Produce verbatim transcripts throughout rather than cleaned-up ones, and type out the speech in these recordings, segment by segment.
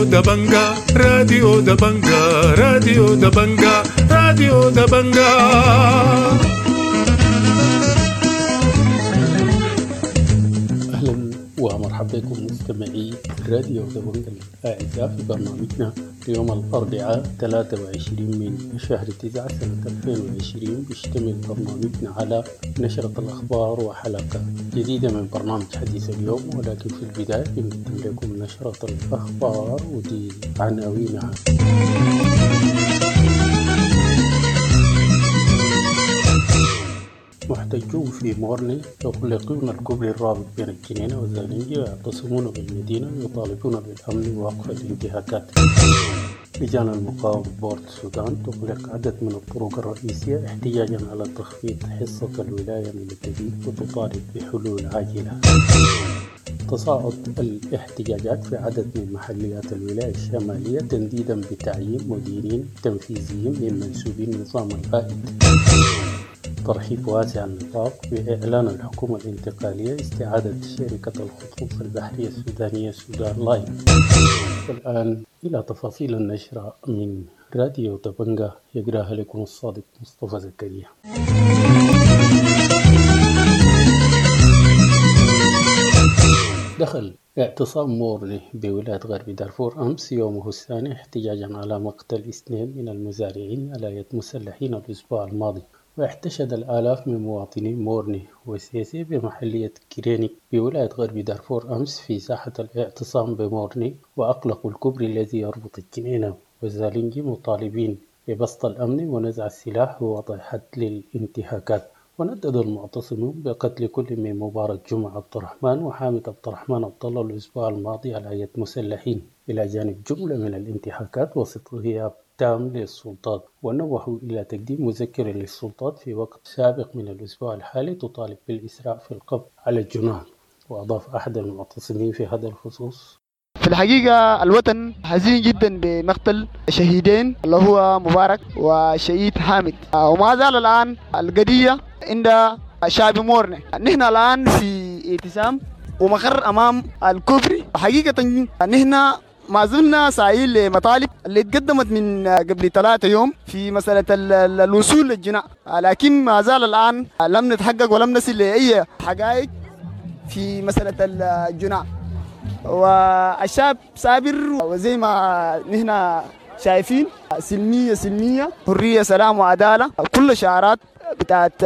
راديو دبنجا، راديو دبنجا، راديو دبنجا، راديو دبنجا. أهلا ومرحبا بكم مستمعي راديو دبنجا الأعزاء في برنامجنا اليوم الأربعاء ثلاثة وعشرين من شهر تسعة سنة ألفين وعشرين. بيشتمل برنامجنا على نشرة الأخبار وحلقة جديدة من برنامج حديث اليوم، ولكن في البداية بنقدم لكم نشرة الأخبار ودي عناوينها. محتجون في مورني يغلقون الكوبري الرابط بين الجنينة والزالنجي ويعتصمون بالمدينة ويطالبون بالأمن ووقف الانتهاكات. لجان المقاومة بورت السودان تغلق عدد من الطرق الرئيسية احتجاجا على تخفيض حصة الولاية من الدقيق وتطالب بحلول عاجلة. تصاعد الاحتجاجات في عدد من محليات الولاية الشمالية تنديدا بتعيين مديرين تنفيذيين من منسوبين النظام البائد. ترحيب واسع النطاق بإعلان الحكومة الانتقالية استعادة شركة الخطوط البحرية السودانية سودان لاين. والآن إلى تفاصيل النشرة من راديو دبنجا يقراها لكم الصادق مصطفى زكريا. دخل اعتصام مورني بولاية غرب دارفور أمس يومه الثاني احتجاجا على مقتل اثنين من المزارعين على يد مسلحين الأسبوع الماضي. واحتشد الآلاف من مواطني مورني وسيسي بمحلية كرينيك بولاية غرب دارفور أمس في ساحة الاعتصام بمورني، وأغلقوا الكوبري الذي يربط الجنينة والزالنجي مطالبين ببسط الأمن ونزع السلاح ووضع حد للانتهاكات. وندد المعتصمون بقتل كل من مبارك جمعة عبد الرحمن وحامد عبد الرحمن عبد الله الأسبوع الماضي على يد مسلحين، إلى جانب جملة من الانتهاكات وسط غياب تام للسلطات. ونوهوا إلى تقديم مذكرة للسلطات في وقت سابق من الأسبوع الحالي تطالب بالإسراع في القبض على الجناه. وأضاف أحد المعتصمين في هذا الخصوص: في الحقيقة الوطن حزين جدا بمقتل شهيدين اللي هو مبارك وشهيد حامد، وما زال الآن القضية عند شعب مورني. نحن الآن في اعتصام ومقر أمام الكوبري. حقيقة نحن ما زلنا سعيين لمطالب اللي تقدمت من قبل ثلاثة يوم في مسألة الوصول للجناء، لكن ما زال الآن لم نتحقق ولم نصل لأي حقائق في مسألة الجناء. والشعب صابر، وزي ما نحن شايفين سلمية سلمية، حرية سلام وعدالة، كل شعارات بتاعت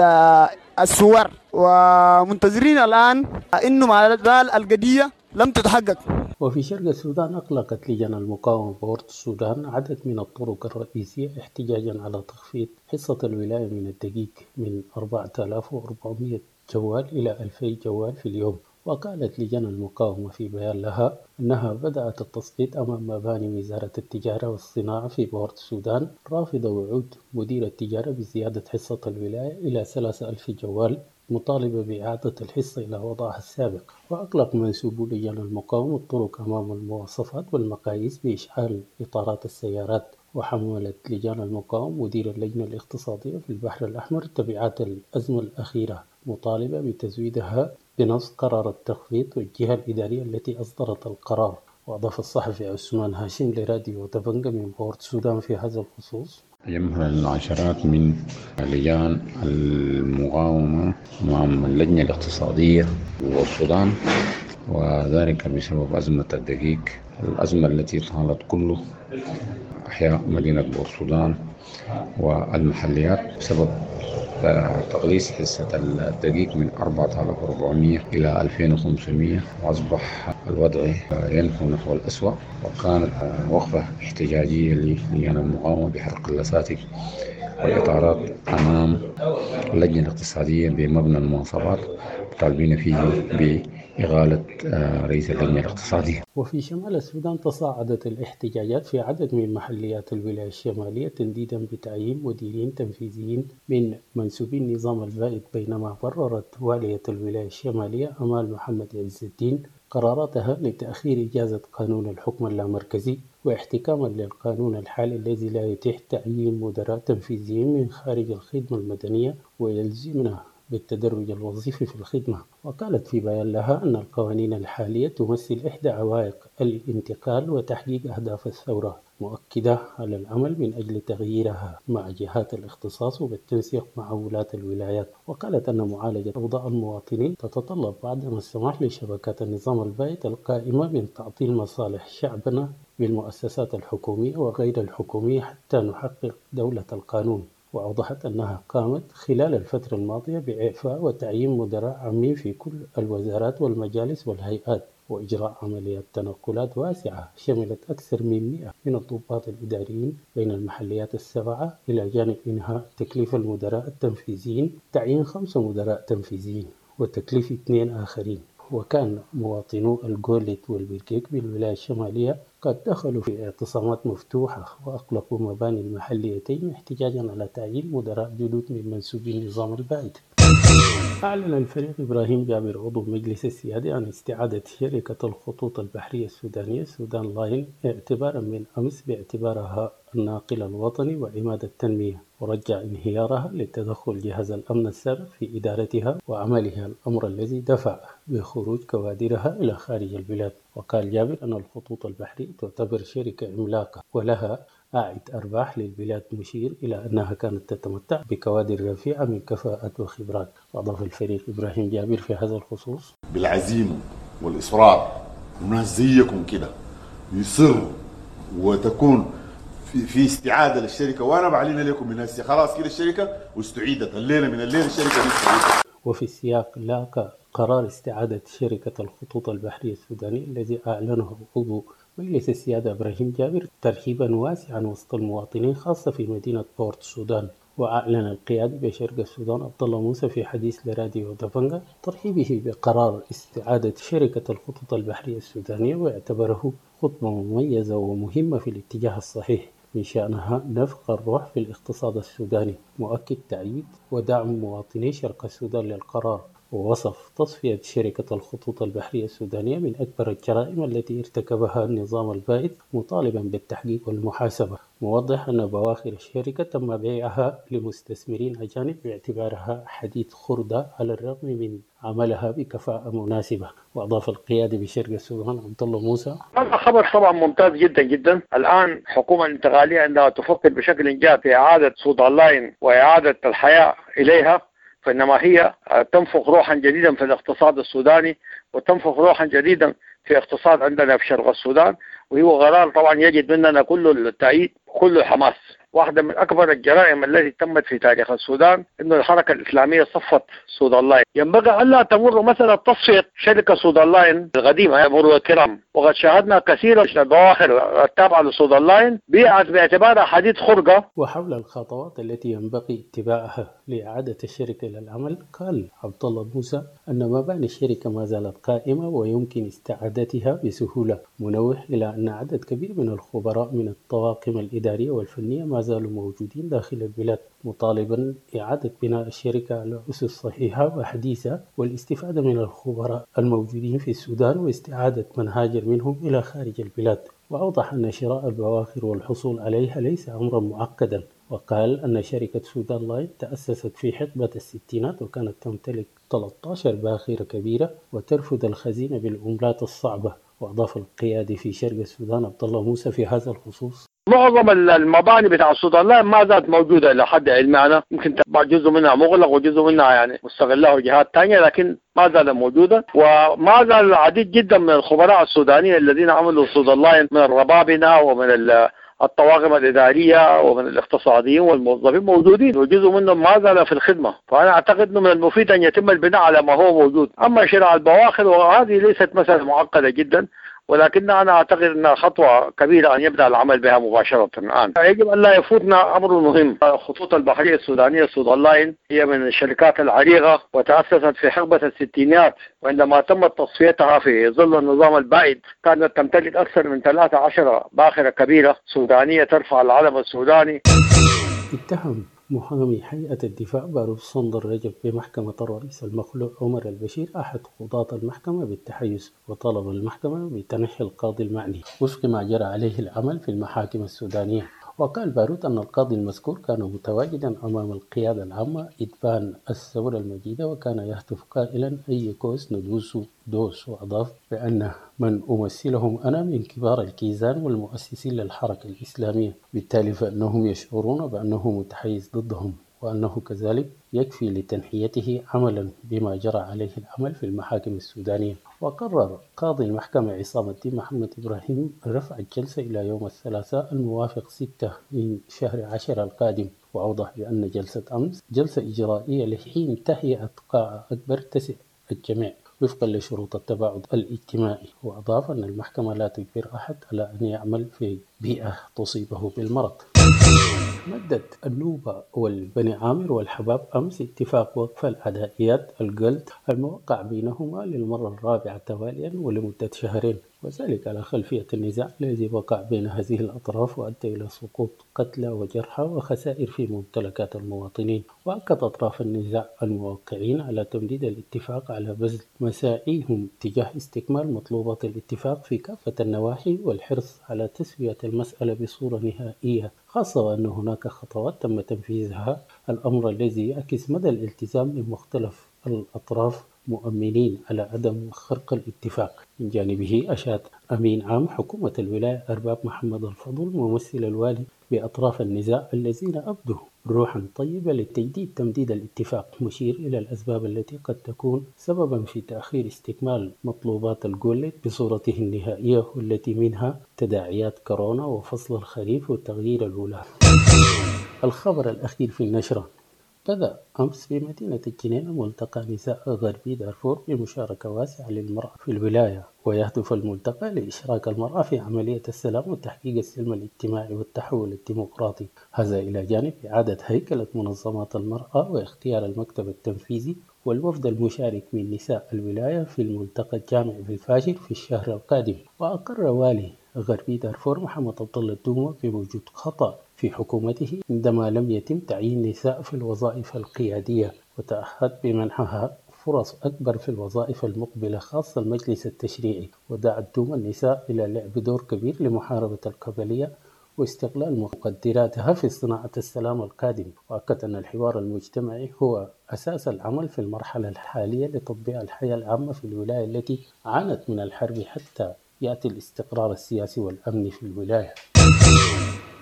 الثوار. ومنتظرين الآن إنه ما زال القضية لم تتحقق. وفي شرق السودان أغلقت لجان المقاومة بورت السودان عدد من الطرق الرئيسية احتجاجا على تخفيض حصة الولاية من الدقيق من أربعة آلاف وأربعمئة جوال إلى ألفي جوال في اليوم. وقالت لجان المقاومة في بيان لها أنها بدأت التصويت أمام مباني وزارة التجارة والصناعة في بورت السودان، رافضة وعود مدير التجارة بزيادة حصة الولاية إلى ثلاثة ألف جوال، مطالبة بإعادة الحصة إلى وضعها السابق. وأغلق منسوبو لجان المقاومة الطرق أمام المواصفات والمقاييس بإشعال إطارات السيارات. وحملت لجان المقاومة مدير اللجنة الاقتصادية في البحر الأحمر تبعات الأزمة الأخيرة، مطالبة بتزويدها بنص قرار التخفيض والجهة الإدارية التي أصدرت القرار. وأضاف الصحفي عثمان هاشم لراديو دبنجا من بورت السودان في هذا الخصوص: تجمهر العشرات من لجان المقاومة أمام اللجنة الاقتصادية والسودان، وذلك بسبب أزمة الدقيق، الأزمة التي طالت كل أحياء مدينة بورت السودان والمحليات بسبب تقليص حصة الدقيق من أربعة آلاف وأربعمئة إلى ألفين وخمسمئة، وأصبح الوضع ينحو نحو الأسوأ. وكانت وقفة احتجاجية للجان المقاومة بحرق اللساتك والإطارات أمام اللجنة الاقتصادية بمبنى المواصفات، طالبين فيه بإغالة رئيس اللجنة الاقتصادية. وفي شمال السودان تصاعدت الاحتجاجات في عدد من محليات الولاية الشمالية تنديدا بتعيين مديرين تنفيذيين من منسوبي النظام البائد، بينما بررت والية الولاية الشمالية أمال محمد عز الدين قراراتها لتأخير إجازة قانون الحكم اللامركزي واحتكاما للقانون الحالي الذي لا يتيح تعيين مدراء تنفيذيين من خارج الخدمة المدنية ويلزمنا بالتدرج الوظيفي في الخدمة. وقالت في بيان لها أن القوانين الحالية تمثل إحدى عوائق الانتقال وتحقيق أهداف الثورة، مؤكدة على العمل من أجل تغييرها مع جهات الاختصاص وبالتنسيق مع ولاة الولايات. وقالت أن معالجة أوضاع المواطنين تتطلب عدم السماح لشبكات النظام البائد القائمة من تعطيل مصالح شعبنا بالمؤسسات الحكومية وغير الحكومية حتى نحقق دولة القانون. وأوضحت أنها قامت خلال الفترة الماضية بإعفاء وتعيين مدراء عامين في كل الوزارات والمجالس والهيئات، وإجراء عمليات تنقلات واسعة شملت أكثر من مئة من الضباط الإداريين بين المحليات السبعة، إلى جانب إنهاء تكليف المدراء التنفيذيين، تعيين خمسة مدراء تنفيذيين وتكليف اثنين آخرين. وكان مواطنو الجولت والبركيك بالولاية الشمالية قد دخلوا في اعتصامات مفتوحة وأغلقوا مباني المحليتين احتجاجا على تعيين مدراء جدد من منسوبي النظام البائد. أعلن الفريق إبراهيم جابر عضو مجلس السيادة عن استعادة شركة الخطوط البحرية السودانية سودان لاين اعتبارا من أمس باعتبارها الناقل الوطني وعماد التنمية، ورجع انهيارها لتدخل جهاز الأمن السابق في إدارتها وعملها، الأمر الذي دفع بخروج كوادرها إلى خارج البلاد. وقال جابر أن الخطوط البحرية تعتبر شركة عملاقة ولها أعد أرباح للبلاد، مشير إلى أنها كانت تتمتع بكوادر رفيعة من كفاءة وخبرات. وأضاف الفريق إبراهيم جابر في هذا الخصوص: بالعزيمة والإصرار وناس زيكم كده يصروا وتكون في, في استعادة للشركة، وأنا بعلن لكم من هسه خلاص كده الشركة واستعيدت الليلة، من الليلة الشركة دي استعيدت. وفي السياق لاقى قرار استعادة شركة الخطوط البحرية السودانية الذي أعلنه عضو مجلس السيادة إبراهيم جابر ترحيبا واسعا وسط المواطنين، خاصة في مدينة بورت السودان. وأعلن القيادي بشرق السودان عبد الله موسى في حديث لراديو دبنجا ترحيبه بقرار استعادة شركة الخطوط البحرية السودانية، واعتبره خطوة مميزة ومهمة في الاتجاه الصحيح من شأنها نفخ الروح في الاقتصاد السوداني، مؤكد تأييد ودعم مواطني شرق السودان للقرار. ووصف تصفية شركة الخطوط البحرية السودانية من أكبر الجرائم التي ارتكبها النظام البائد، مطالبا بالتحقيق والمحاسبة، موضح أن بواخر الشركة تم بيعها لمستثمرين أجانب باعتبارها حديد خردة على الرغم من عملها بكفاءة مناسبة. وأضاف القيادي بشرق السودان عبد الله موسى: هذا خبر طبعا ممتاز جدا جدا. الآن الحكومة الانتقالية عندما تفكر بشكل جاد في إعادة سودان لاين وإعادة الحياة إليها، فإنما هي تنفخ روحا جديدا في الاقتصاد السوداني وتنفخ روحا جديدا في اقتصاد عندنا في شرق السودان، وهو قرار طبعا يجد مننا كل التأييد وكل الحماس. واحدة من أكبر الجرائم التي تمت في تاريخ السودان إنه الحركة الإسلامية صفت سودان لاين. ينبغي ألا تمر مثلا تصفية شركة سودان لاين القديمة مرور الكرام، وقد شاهدنا كثيرا من البواخر التابعة لسودان لاين بيعت باعتبارها حديد خرقة. وحول الخطوات التي ينبغي اتباعها لإعادة الشركة إلى العمل، قال عبد الله موسى أن مباني الشركة ما زالت قائمة ويمكن استعادتها بسهولة، منوه إلى أن عدد كبير من الخبراء من الطواقم الإدارية والفنية ما زالوا موجودين داخل البلاد، مطالبا إعادة بناء الشركة على أسس صحيحة وحديثة والاستفادة من الخبراء الموجودين في السودان واستعادة من هاجر منهم إلى خارج البلاد. وأوضح أن شراء البواخر والحصول عليها ليس أمرا معقدا، وقال أن شركة سودان لاين تأسست في حقبة الستينات وكانت تمتلك ثلاثة عشر باخرة كبيرة وترفد الخزينة بالعملات الصعبة. وأضاف القيادي في شرق السودان عبد الله موسى في هذا الخصوص: معظم المباني بتاع السودان لاين ما زالت موجودة إلى حد علمي أنا، يمكن جزء منها مغلق وجزء منها يعني مستغلاه جهات ثانية، لكن ما زالت موجودة. وما زال العديد جدا من الخبراء السودانيين الذين عملوا سودان لاين من الربابنة ومن الطواقم الإدارية ومن الاقتصاديين والموظفين موجودين، وجزء منهم ما زال في الخدمة. فأنا أعتقد أنه من المفيد أن يتم البناء على ما هو موجود. أما شراء البواخر وهذه ليست مسألة معقدة جدا، ولكن أنا أعتقد أنها خطوة كبيرة أن يبدأ العمل بها مباشرة الآن. يجب أن لا يفوتنا أمر مهم. الخطوط البحرية السودانية سودان لاين هي من الشركات العريقة وتأسست في حقبة الستينات، وعندما تمت تصفيتها في ظل النظام البائد كانت تمتلك أكثر من ثلاثة عشر باخرة كبيرة سودانية ترفع العلم السوداني. اتهم محامي هيئة الدفاع باروف صندر رجب بمحكمة الرئيس المخلوع عمر البشير أحد قضاة المحكمة بالتحيز، وطلب المحكمة بتنحي القاضي المعني وفق ما جرى عليه العمل في المحاكم السودانية. وقال باروت أن القاضي المذكور كان متواجدا أمام القيادة العامة إبان الثورة المجيدة، وكان يهتف قائلا أي كوز ندوس دوس. وأضاف بأن من أمثلهم أنا من كبار الكيزان والمؤسسين للحركة الإسلامية، بالتالي فإنهم يشعرون بأنه متحيز ضدهم، وأنه كذلك يكفي لتنحيته عملا بما جرى عليه العمل في المحاكم السودانية. وقرر قاضي المحكمة عصام الدين محمد إبراهيم رفع الجلسة إلى يوم الثلاثاء الموافق ستة من شهر عشر القادم. وأوضح بأن جلسة أمس جلسة إجرائية لحين تهيئة قاعة أكبر تسع الجميع وفقا لشروط التباعد الاجتماعي. وأضاف أن المحكمة لا تجبر أحد على أن يعمل في بيئة تصيبه بالمرض. مدت النوبة والبني عامر والحباب أمس اتفاق وقف العدائيات الجلد الموقع بينهما للمرة الرابعة تواليا ولمدة شهرين، وذلك على خلفية النزاع الذي وقع بين هذه الأطراف وأدى إلى سقوط قتلى وجرحى وخسائر في ممتلكات المواطنين. وأكد أطراف النزاع الموقعين على تمديد الاتفاق على بذل مساعيهم تجاه استكمال مطلوبات الاتفاق في كافة النواحي والحرص على تسوية المسألة بصورة نهائية، خاصة وأن هناك خطوات تم تنفيذها، الأمر الذي يعكس مدى الالتزام من مختلف الأطراف مؤمنين على عدم خرق الاتفاق. من جانبه أشاد أمين عام حكومة الولاية أرباب محمد الفضل ممثل الوالي بأطراف النزاع الذين أبدوا روحا طيبة لتجديد تمديد الاتفاق، مشير إلى الأسباب التي قد تكون سببا في تأخير استكمال مطلوبات الجولت بصورته النهائية، والتي منها تداعيات كورونا وفصل الخريف وتغيير الولاة. الخبر الأخير في النشرة: بدأ أمس في مدينة الجنينة ملتقى نساء غربي دارفور بمشاركة واسعة للمرأة في الولاية، ويهدف الملتقى لإشراك المرأة في عملية السلام وتحقيق السلم الاجتماعي والتحول الديمقراطي، هذا إلى جانب إعادة هيكلة منظمات المرأة واختيار المكتب التنفيذي والوفد المشارك من نساء الولاية في الملتقى الجامعي في الفاشر في الشهر القادم. وأقر والي غربي دارفور محمد عبد الله الدومة بوجود خطأ في حكومته عندما لم يتم تعيين نساء في الوظائف القيادية، وتأهد بمنحها فرص أكبر في الوظائف المقبلة خاصة المجلس التشريعي. ودعا الدومة النساء إلى لعب دور كبير لمحاربة القبلية واستغلال مقدراتها في صناعة السلام القادم. وأكد أن الحوار المجتمعي هو أساس العمل في المرحلة الحالية لتطبيع الحياة العامة في الولاية التي عانت من الحرب حتى يأتي الاستقرار السياسي والأمني في الولاية.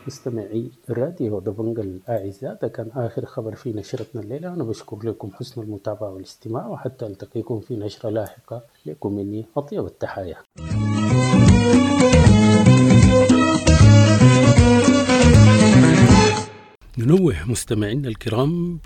مستمعي راديو دبنجا الأعزاء، ده كان آخر خبر في نشرتنا الليلة. أنا بشكر لكم حسن المتابعة والاستماع، وحتى ألتقيكم في نشرة لاحقة. لكم مني أطيب التحايا. ننوه مستمعينا الكرام،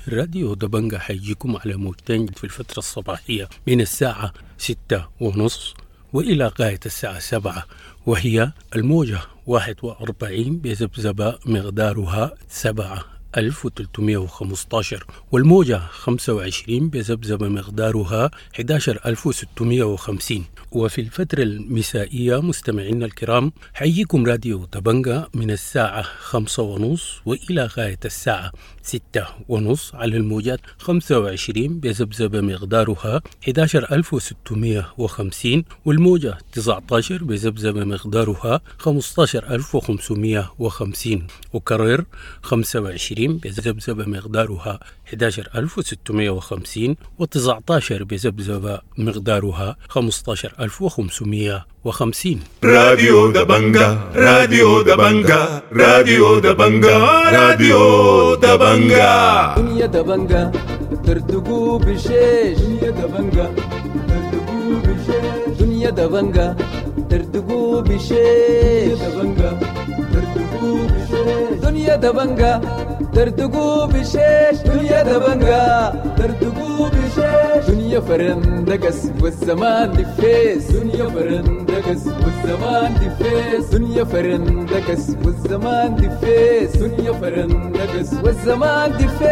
راديو دبنجا حيجيكم على موجتين في الفترة الصباحية من الساعة ستة ونص وإلى غاية الساعة سبعة، وهي الموجة واحد وأربعين بذبذبة مقدارها سبعة ألف وثلاثمائة وخمسة عشر، والموجة خمسة وعشرين بذبذبة مقدارها أحد عشر ألف وستمائة وخمسين. وفي الفترة المسائية مستمعينا الكرام حييكم راديو دبنجا من الساعة خمسة ونص وإلى غاية الساعة ستة ونص على الموجات خمسة وعشرين بذبذبة مقدارها أحد عشر ألف وستمائة وخمسين، والموجة تسعة عشر بذبذبة مقدارها خمسة عشر ألف وخمسمائة وخمسين. وكرر خمسة وعشرين بذبذبة مقدارها أحد عشر ألف وستمائة وخمسين، وتسعة عشر بذبذبة مقدارها خمسة عشر ألف وخمسمائة وخمسين. راديو دبنجا، راديو دبنجا، راديو دبنجا، راديو دبنجا. دنيا دبنجا تردقوا بشيش، دنيا دبنجا تردقوا بشيش، دنيا دبنجا تردقوا بشيش، دبنجا تردقوا بشيش، دنيا دبنجا تردقوا بشيش، دنيا دبنجا تردقوا بشيش، دنيا فرندقس والزمان دفيس، دنيا فرندقس والزمان دفيس، دنيا فرندقس والزمان دفيس، دنيا فرندقس والزمان دفيس.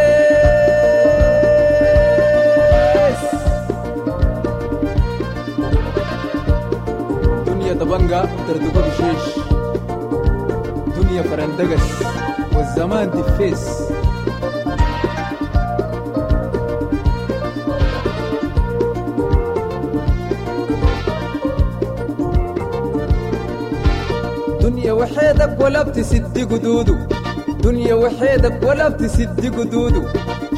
دنيا دبنجا تردقوا بشيش، دنيا فرندقس والزمان دفيس. دنيا وحيدك ولا بتسد قدوده، دنيا وحيدك ولا بتسد قدوده،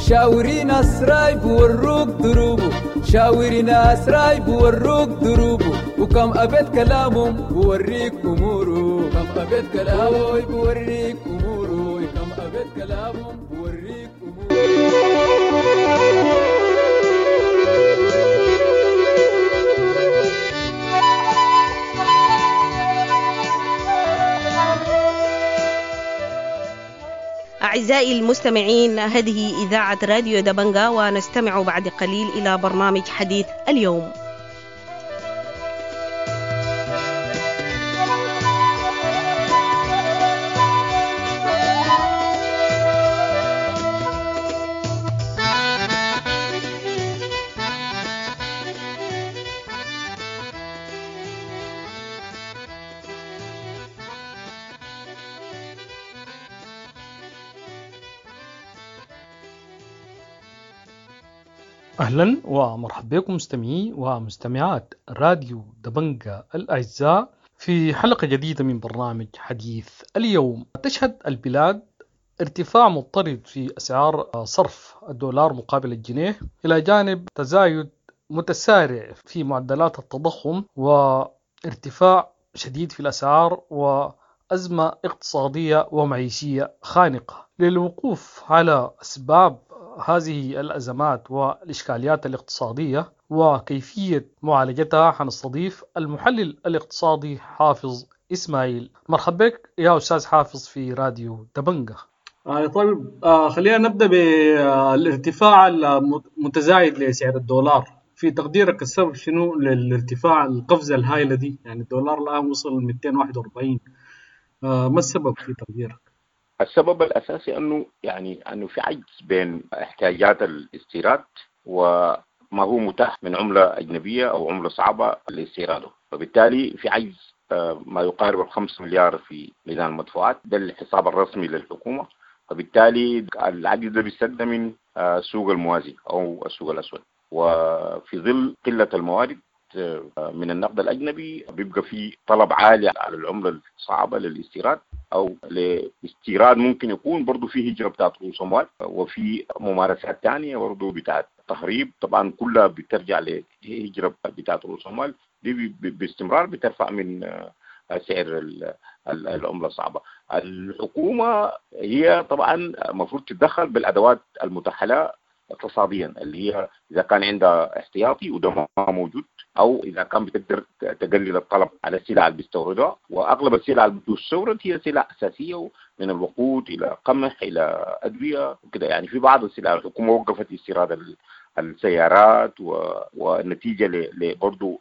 شاوري ناس رايب وروك دروبه، شاوري ناس رايب وروك دروبه، وكم أبيت كلامهم بوريك أموره، كم أبيت كلامه بوريك أموره، كم أبيت كلامهم بوريك أموره. أعزائي المستمعين، هذه إذاعة راديو دبنجا، ونستمع بعد قليل إلى برنامج حديث اليوم. أهلا ومرحبا بكم مستمعي ومستمعات راديو دبنجا الأعزاء في حلقة جديدة من برنامج حديث اليوم. تشهد البلاد ارتفاع مضطرد في أسعار صرف الدولار مقابل الجنيه، إلى جانب تزايد متسارع في معدلات التضخم وارتفاع شديد في الأسعار وأزمة اقتصادية ومعيشية خانقة. للوقوف على أسباب هذه الأزمات والإشكاليات الاقتصادية وكيفية معالجتها حنستضيف المحلل الاقتصادي حافظ إسماعيل. مرحبا بك يا أستاذ حافظ في راديو دبنجة. آه طيب، آه خلينا نبدأ بالارتفاع المتزايد لسعر الدولار. في تقديرك السبب شنو للارتفاع القفزة الهائلة دي؟ يعني الدولار الآن وصل مئتين وواحد وأربعين، آه ما السبب في تقديرك؟ السبب الأساسي أنه يعني أنه في عجز بين احتياجات الاستيراد وما هو متاح من عملة أجنبية أو عملة صعبة لاستيراده، فبالتالي في عجز ما يقارب الخمس مليار في ميزان المدفوعات، ده الحساب الرسمي للحكومة، فبالتالي العجز ده بيستد من السوق الموازي أو السوق الأسود، وفي ظل قلة الموارد من النقد الأجنبي بيبقى في طلب عالي على العملة الصعبة للاستيراد أو لاستيراد، ممكن يكون برضو في هجرة بتاعت رؤوس أموال وفي ممارسات تانية برضو بتاعت تهريب، طبعا كلها بترجع لهجرة بتاعت رؤوس أموال دي باستمرار بترفع من سعر العملة الصعبة. الحكومة هي طبعا المفروض تتدخل بالأدوات المتاحة لها اقتصاديا، اللي هي اذا كان عندها احتياطي وده ما موجود، او اذا كان بتقدر تقلل الطلب على السلع اللي بيستوردها، واغلب السلع اللي بتستورد هي سلع اساسية من الوقود الى قمح الى ادوية وكده. يعني في بعض السلع الحكومة وقفت استيراد السيارات، والنتيجة برضه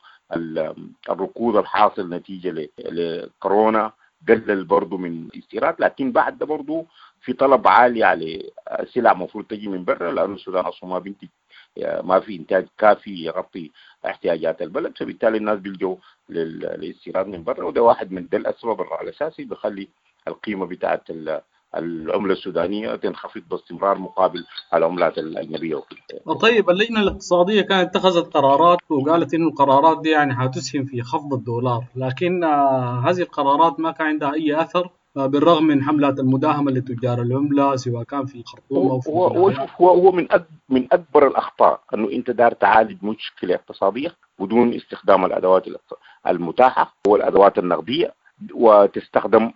الركود الحاصل نتيجة لكورونا قلل برضه من الاستيراد، لكن بعد ده برضه في طلب عالي على السلع المفروض تجي من برا، لانه السودان اصلا ما بينتج، ما في انتاج كافي يغطي احتياجات البلد، فبالتالي الناس بيلجوا للاستيراد من برا، وده واحد من ده الاسباب الاساسي بخلي القيمة بتاعت العملة السودانية تنخفض باستمرار مقابل العملات الاجنبية وكده. طيب، اللجنة الاقتصادية كانت اتخذت قرارات وقالت انه القرارات دي يعني حتسهم في خفض الدولار، لكن هذه القرارات ما كان عندها اي اثر بالرغم من حملات المداهمه لتجار العملة سواء كان في الخرطوم او في هو هو هو من من اكبر الاخطاء انه انت دار تعالج مشكلة اقتصادية بدون استخدام الادوات المتاحة والادوات النقدية، وتستخدم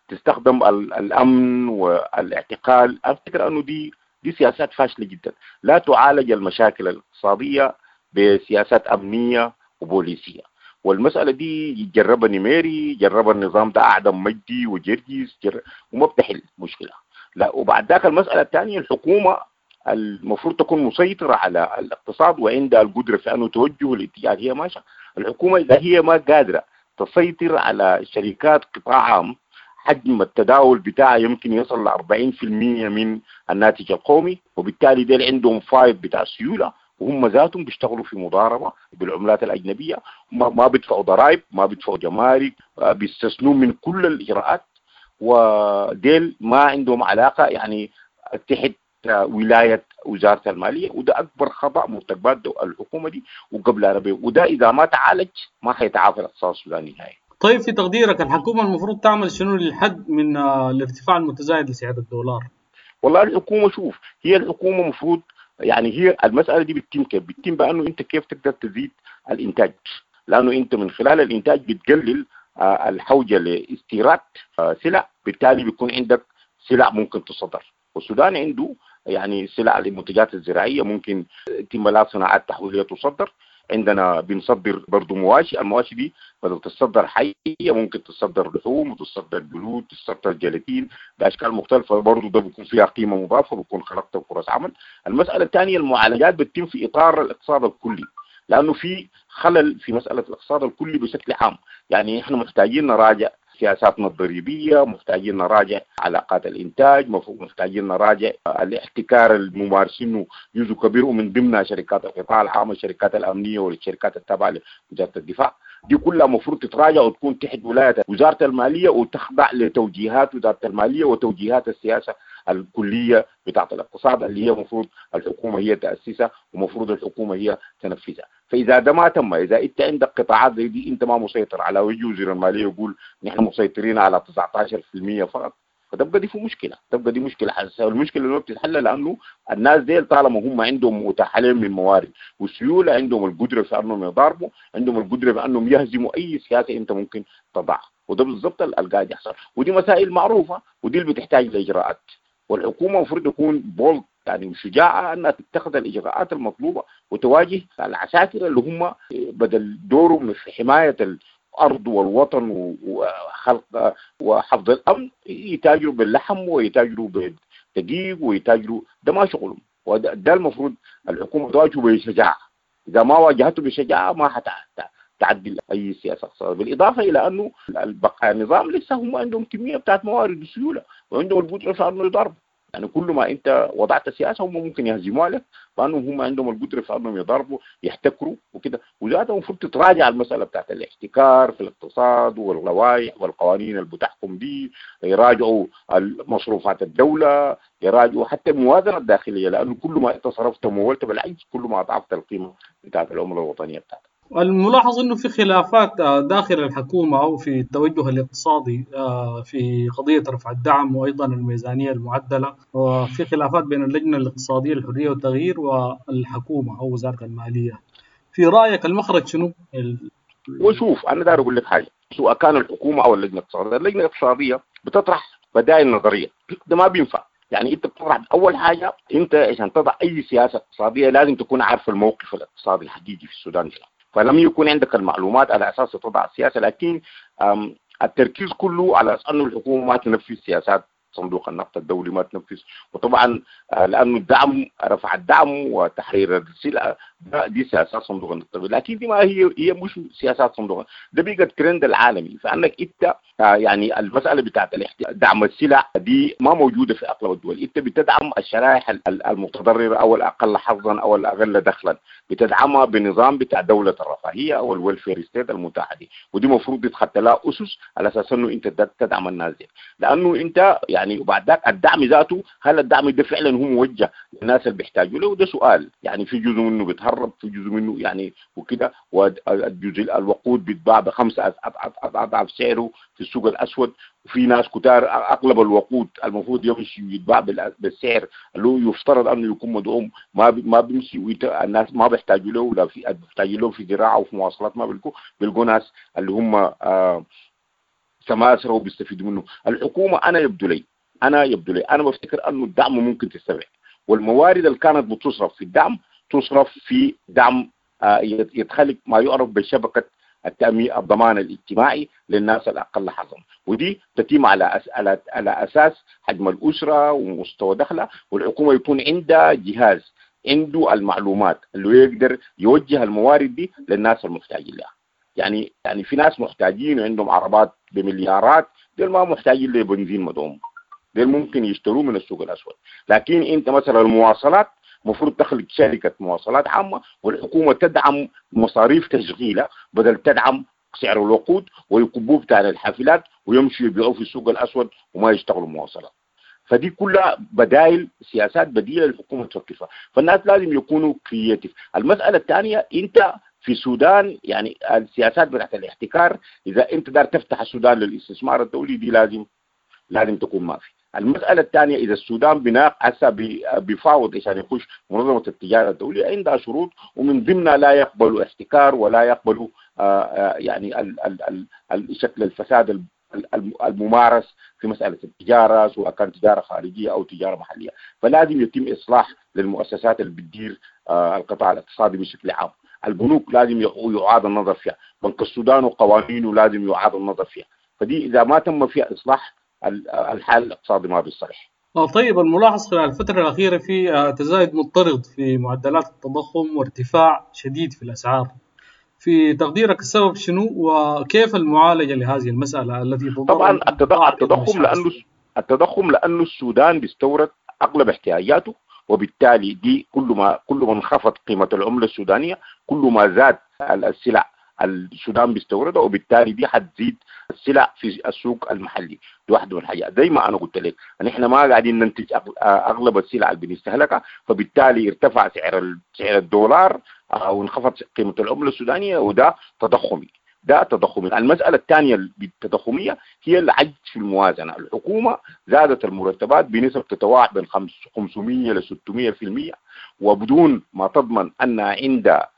تستخدم الامن والاعتقال. افتكر انه دي دي سياسات فاشلة جدا، لا تعالج المشاكل الاقتصادية بسياسات امنية وبوليسيه. والمسألة دي جربها نميري، جربها النظام ده أعدم مجدي وجرجيس جر... وما بتحل مشكلة. لا، وبعد ذاك المسألة الثانية، الحكومة المفروض تكون مسيطرة على الاقتصاد وعندها القدرة في أنه توجه الاتجاه هي ماشية. الحكومة إذا هي ما قادرة تسيطر على شركات قطاع عام حجم التداول بتاعها يمكن يصل ل أربعين بالمئة من الناتج القومي، وبالتالي ديل عندهم فايض بتاع سيولة، وهم ذاتهم بيشتغلوا في مضاربة بالعملات الأجنبية، ما بيدفعوا ضرائب، ما بيدفعوا جمارك، بيستثنوا من كل الإجراءات، وديل ما عندهم علاقة يعني تحت ولاية وزارة المالية. وده أكبر خطأ مرتكبات الحكومة دي وقبل عربية، وده إذا ما تعالج ما حيتعافى الاقتصاد السوداني نهائي. طيب في تقديرك الحكومة المفروض تعمل شنو للحد من الارتفاع المتزايد لسعر الدولار؟ والله الحكومة شوف، هي الحكومة المفروض يعني هي المسالة دي بتتم كيف؟ بتتم بانه انت كيف تقدر تزيد الانتاج، لانه انت من خلال الانتاج بتقلل الحوجه لاستيراد سلع، بالتالي بيكون عندك سلع ممكن تصدر. والسودان عنده يعني سلع للمنتجات الزراعية ممكن يتم لها صناعات تحويليه تصدر. عندنا بنصدر برضو مواشي، المواشي دي بدل تصدر حية ممكن تصدر لحوم وتصدر جلود، تصدر جيلاتين بأشكال مختلفة، برضو ده بيكون فيها قيمة مضافة، بيكون خلقت فرص عمل. المسألة الثانية المعالجات بتتم في إطار الاقتصاد الكلي، لأنه في خلل في مسألة الاقتصاد الكلي بشكل عام. يعني احنا محتاجين نراجع سياساتنا الضريبية، محتاجين نراجع علاقات الإنتاج، محتاجين نراجع الاحتكار الممارسينه جزء كبير ومن ضمنها شركات القطاع العام والشركات الأمنية والشركات التابعة لوزارة الدفاع. دي كلها مفروض تتراجع وتكون تحت ولاية وزارة المالية وتخضع لتوجيهات وزارة المالية وتوجيهات السياسة الكلية بتاعة الاقتصاد اللي هي مفروض الحكومة هي تأسسها ومفروض الحكومة هي تنفذها. فإذا ده ما تم، إذا أنت عندك قطاعات زي دي أنت ما مسيطر على، ويجي وزير المالية يقول نحن مسيطرين على تسعة عشر بالمئة فقط، فتبقى دي في مشكلة، تبقى دي مشكلة حساسة. والمشكلة اللي بتتحل لأنه الناس دي طالما هم عندهم متاح عليهم من موارد والسيولة، عندهم القدرة في أنهم يضاربوا، عندهم القدرة في أنهم يهزموا أي سياسة أنت ممكن تضعها، وده بالضبط اللي قاعد يحصل. ودي مسائل معروفة ودي اللي بتحتاج لإجراءات، والحكومة المفروض تكون بولد يعني وشجاعة أنها تتخذ الإجراءات المطلوبة وتواجه العساكر اللي هم بدل دورهم في حماية الأرض والوطن وخلق وحفظ الأمن يتاجروا باللحم ويتاجروا بالدقيق ويتاجروا، ده ما شغلهم، وده ده المفروض الحكومة تواجهه بشجاعة. إذا ما واجهته بشجاعة ما حتعدل أي سياسة اقتصادية. بالإضافة إلى أنه البقاء النظام لسه هم عندهم كمية بتاعت موارد وسيولة وعندهم القدرة في أنه يضربوا. يعني كل ما انت وضعت سياسة هم ممكن يهزموها لك، لانهم هم عندهم القدرة في انهم يضربوا يحتكروا وكده. وذاتها المفروض تتراجع المسالة بتاعت الاحتكار في الاقتصاد واللوائح والقوانين اللي بتحكم دي، يراجعوا مصروفات الدولة، يراجعوا حتى الموازنة الداخلية، لانه كل ما انت صرفت ومولت بالعجز كل ما اضعفت القيمة بتاعت العملة الوطنية بتاعتك. الملاحظ انه في خلافات داخل الحكومة او في التوجه الاقتصادي في قضية رفع الدعم وايضا الميزانية المعدله، وفي خلافات بين اللجنة الاقتصادية للحرية والتغيير والحكومة او وزارة المالية. في رايك المخرج شنو؟ ال... وشوف انا داير اقول لك حاجة، سواء كان الحكومة او اللجنة الاقتصادية، اللجنة الاقتصادية بتطرح بدائل نظرية، ده ما بينفع. يعني انت بتطرح اول حاجة، انت عشان تضع اي سياسة اقتصادية لازم تكون عارف الموقف الاقتصادي الحقيقي في السودان شنو، فلم يكون عندك المعلومات على اساس تضع السياسة. لكن التركيز كله على انه الحكومة ما تنفذ سياسات صندوق النقد الدولي، ما تنفذ، وطبعا لانه الدعم رفع الدعم وتحرير السلع دي سياسات صندوق النقد الدولي، لكن دي ما هي هي مش سياسات صندوق، ده بقى الترند العالمي. فانك انت يعني المسالة بتاعت دعم السلع دي ما موجودة في اغلب الدول، انت بتدعم الشرائح المتضررة او الاقل حظا او الاقل دخلا، بتدعمها بنظام بتاع دولة الرفاهية او ال welfare state المتاحة دي، ودي المفروض يتخط لها اسس على اساس انه انت تدعم الناس دي، لانه انت يعني وبعد ذاك الدعم ذاته هل الدعم ده فعلا هو موجه للناس اللي بيحتاجوا له؟ ده سؤال. يعني في جزء منه بيتهرب، في جزء منه يعني وكده، والجزء الوقود بيتباع بخمسة اضعاف سعره في السوق الاسود، وفي ناس كتار اغلب الوقود المفروض يمشي ويتباع بالسعر اللي هو يفترض انه يكون مدعوم ما ما بيمشي، الناس ما بيحتاجوا له، ولا في بيحتاجوا له في زراعة وفي مواصلات ما بيلقوا بيلقوا ناس اللي هم آه سماسره وبيستفيدوا منه. الحكومة انا يبدو لي انا يبدو لي انا بفتكر انه الدعم ممكن تستبعد، والموارد اللي كانت بتصرف في الدعم تصرف في دعم آه يتخلق ما يعرف بشبكة التأمين الضمان الاجتماعي للناس الاقل حظا، ودي تتم على أس... على على اساس حجم الاسرة ومستوى دخلها، والحكومة يكون عندها جهاز عنده المعلومات اللي يقدر يوجه الموارد دي للناس المحتاجين لها. يعني يعني في ناس محتاجين وعندهم عربات بمليارات، دول ما محتاجين لبنزين مدعوم، دول ممكن يشتروه من السوق الاسود. لكن انت مثلا المواصلات المفروض تخلق شركة مواصلات عامة والحكومة تدعم مصاريف تشغيلها بدل تدعم سعر الوقود ويكبوه بتاع الحافلات ويمشوا يبيعوه في السوق الاسود وما يشتغلوا مواصلات. فدي كلها بدائل، سياسات بديله للحكومة تفكر فيها، فالناس لازم يكونوا creative. المسالة الثانية انت في السودان يعني السياسات بتاعت الاحتكار، اذا انت دار تفتح السودان للاستثمار الدولي دي لازم لازم تكون ما في. المسألة الثانية، إذا السودان بناء هسه بيفاوض عشان يخش منظمة التجارة الدولية عندها شروط، ومن ضمنها لا يقبلوا احتكار ولا يقبلوا يعني ال ال ال شكل الفساد الممارس في مسألة التجارة، سواء كانت تجارة خارجية أو تجارة محلية. فلازم يتم إصلاح للمؤسسات اللي بتدير القطاع الاقتصادي بشكل عام. البنوك لازم يعاد النظر فيها، بنك السودان وقوانينه لازم يعاد النظر فيها. فدي إذا ما تم فيها إصلاح الحال الاقتصادي ما بيصلح. طيب، الملاحظ خلال الفترة الأخيرة في تزايد مضطرد في معدلات التضخم وارتفاع شديد في الأسعار. في تقديرك السبب شنو وكيف المعالجة لهذه المسألة التي طبعا التضخم لأنه التضخم لأنه السودان بيستورد أغلب احتياجاته، وبالتالي دي كل ما كل ما انخفض قيمة العملة السودانية كل ما زاد السلع السودان بيستوردها، وبالتالي دي حتزيد السلع في السوق المحلي. دي واحدة من الحاجات. زي ما انا قلت لك نحن ما قاعدين ننتج اغلب السلع اللي بنستهلكها، فبالتالي ارتفع سعر سعر الدولار وانخفض قيمة العملة السودانية، وده تضخمي. ده تضخمي. المسألة الثانية التضخمية هي العجز في الموازنة. الحكومة زادت المرتبات بنسب تتراوح بين خمسمية إلى ستمية في المية، وبدون ما تضمن أن عندها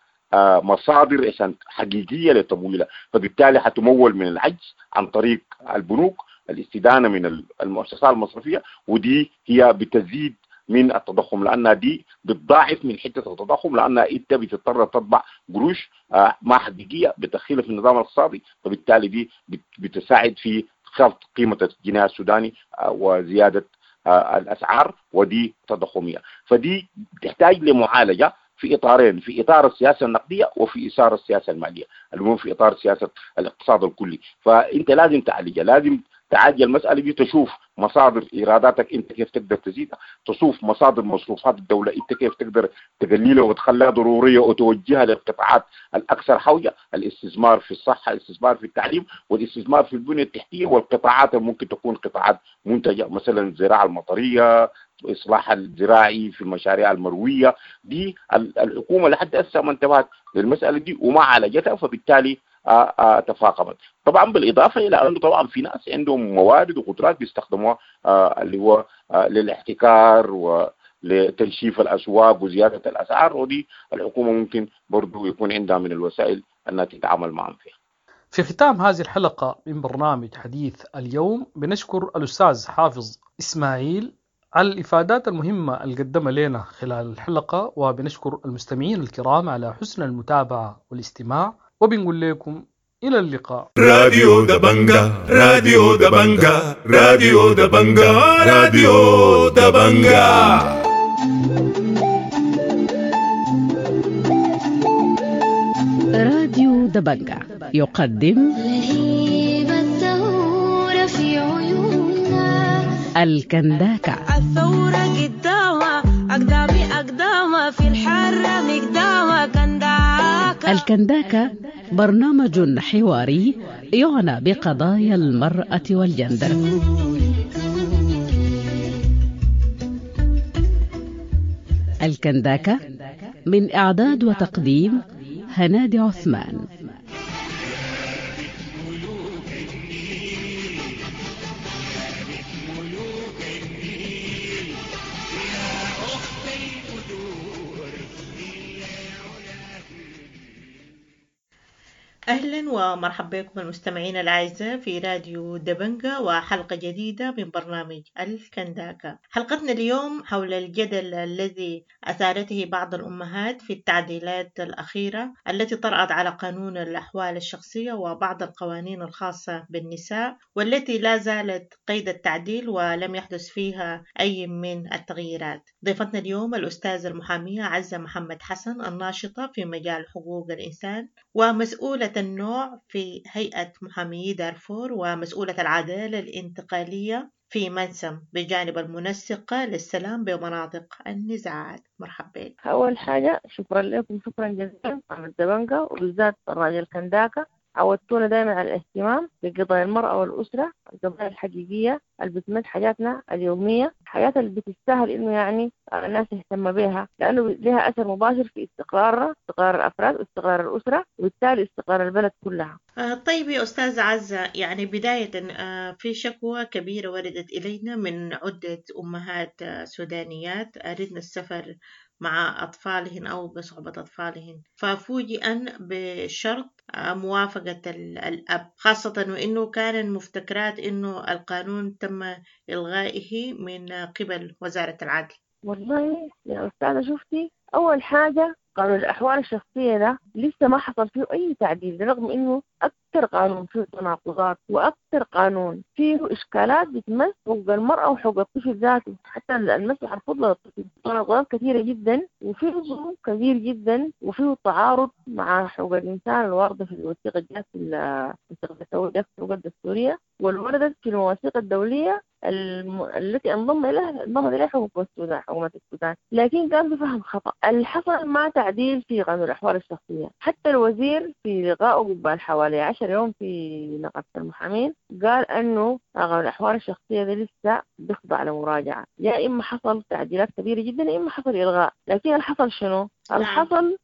مصادر عشان حقيقية لتمويلها، فبالتالي حتمول من العجز عن طريق البنوك، الاستدانة من المؤسسات المصرفية، ودي هي بتزيد من التضخم لأنها دي بتضاعف من حتة التضخم، لأنها أنت بتضطر تطبع قروش ما حقيقية بتدخلها في النظام الاقتصادي، فبالتالي دي بتساعد في خفض قيمة الجنيه السوداني وزيادة الأسعار، ودي تضخمية. فدي تحتاج لمعالجة في إطارين، في إطار السياسة النقدية وفي إطار السياسة المالية، المهم في إطار سياسة الاقتصاد الكلي. فأنت لازم تعالجها، لازم تعالج المسألة دي، تشوف مصادر إيراداتك أنت كيف تقدر تزيدها، تشوف مصادر مصروفات الدولة أنت كيف تقدر تقللها وتخليها ضرورية وتوجهها للقطاعات الأكثر حوجة، الاستثمار في الصحة، الاستثمار في التعليم، والاستثمار في البنية التحتية، والقطاعات اللي ممكن تكون قطاعات منتجة مثلا الزراعة المطرية، إصلاح الزراعي في المشاريع المروية. دي الحكومة لحد هسه ما انتبهت للمسألة دي وما عالجتها، فبالتالي آآ آآ تفاقمت. طبعا بالإضافة إلى أنه طبعا في ناس عندهم موارد وقدرات بيستخدموها اللي هو للاحتكار ولتنشيف الأسواق وزيادة الأسعار، ودي الحكومة ممكن برضو يكون عندها من الوسائل أنها تتعامل معهم فيها. في ختام هذه الحلقة من برنامج حديث اليوم بنشكر الأستاذ حافظ إسماعيل على الإفادات المهمة اللي قدمها لنا خلال الحلقة، وبنشكر المستمعين الكرام على حسن المتابعة والاستماع، وبنقول لكم إلى اللقاء. راديو دبنجا، راديو دبنجا، راديو دبنجا، راديو دبنجا. راديو دبنجا يقدم لهيب الثورة في عيوننا الكنداكة. الثورة قدامها أقدامي أقدامها في الحرة مقدامها كنداكة. الكنداكة برنامج حواري يعنى بقضايا المرأة والجندر. الكنداكة من إعداد وتقديم هنادي عثمان. أهلا ومرحبا بكم المستمعين الأعزاء في راديو دبنجا وحلقة جديدة من برنامج الكنداكا. حلقتنا اليوم حول الجدل الذي أثارته بعض الأمهات في التعديلات الأخيرة التي طرأت على قانون الأحوال الشخصية وبعض القوانين الخاصة بالنساء، والتي لا زالت قيد التعديل ولم يحدث فيها أي من التغييرات. ضيفتنا اليوم الأستاذة المحامية عزة محمد حسن، الناشطة في مجال حقوق الإنسان ومسؤولة النوع في هيئة محاميي دارفور ومسؤولة العدالة الانتقالية في منسم، بجانب المنسقة للسلام بمناطق النزاعات. مرحبا بك. أول حاجة شكرا لكم، شكرا جزيلا على الدبنجة وبالذات برنامج الكنداكة. عودتونا دائما على الاهتمام بقضايا المرأة والأسرة، القضايا الحقيقية اللي بتمس حياتنا اليومية، الحياة اللي بتستاهل إنه يعني الناس تهتم بها، لأنه لها أثر مباشر في استقرارنا، استقرار الأفراد واستقرار الأسرة، وبالتالي استقرار البلد كلها. آه طيب يا أستاذة عزة، يعني بداية آه في شكوى كبيرة وردت إلينا من عدة أمهات آه سودانيات أردن السفر مع أطفالهن أو بصحبة أطفالهن، ففوجئن بشرط موافقة الأب، خاصة وإنه كان المفتكرات إنه القانون تم إلغائه من قبل وزارة العدل. والله يا أستاذة شفتي، أول حاجة قانون الأحوال الشخصية ده لسه ما حصل فيه أي تعديل، رغم إنه أكثر قانون فيه تناقضات وأكثر قانون فيه إشكالات بتمس حقوق المرأة وحقوق الطفل ذاته، حتى المسح الفضل للطفل، تناقضات كثيرة جدا وفيه ظلم كبير جدا وفيه تعارض مع حقوق الإنسان الواردة في الوثيقة الجات في الوثيقة الدستورية والوردت في المواثيق الدولية الم... التي انضم إليها انضم إليها حكومة السودان حكومة السودان، لكن كان بفهم خطأ. اللي حصل مع تعديل في قانون الأحوال الشخصية، حتى الوزير في لقائه قبل حوالي عشر يوم في نقابة المحامين قال أنه قانون الأحوال الشخصية ده لسه بيخضع لمراجعة، يا إما حصل تعديلات كبيرة جدا يا إما حصل إلغاء. لكن اللي حصل شنو؟ اللي حصل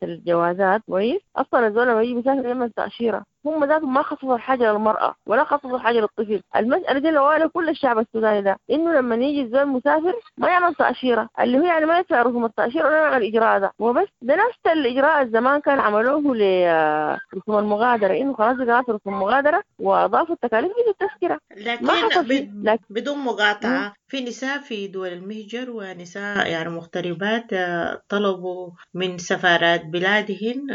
الجوازات كويس، اصلا الزول لما يجي بيسافر يعمل تاشيرة، هم ذاتهم ما خصصوا حاجة للمراة ولا خصصوا حاجة للطفل. المسالة دي لو كل الشعب السوداني ده انه لما يجي الزول مسافر ما يعمل تاشيرة، اللي هو يعني ما يدفع رسوم التاشيره ولا يعمل الاجراء ده وبس. ده نفس الاجراء الزمان كان عملوه لرسوم المغادرة، انه خلاص اجراءات رسوم المغادرة واضافوا التكاليف دي للتذكره. لكن, لكن بدون مقاطعه، في نساء في دول المهجر ونساء يعني مغتربات طلبوا من سفارات بلادهن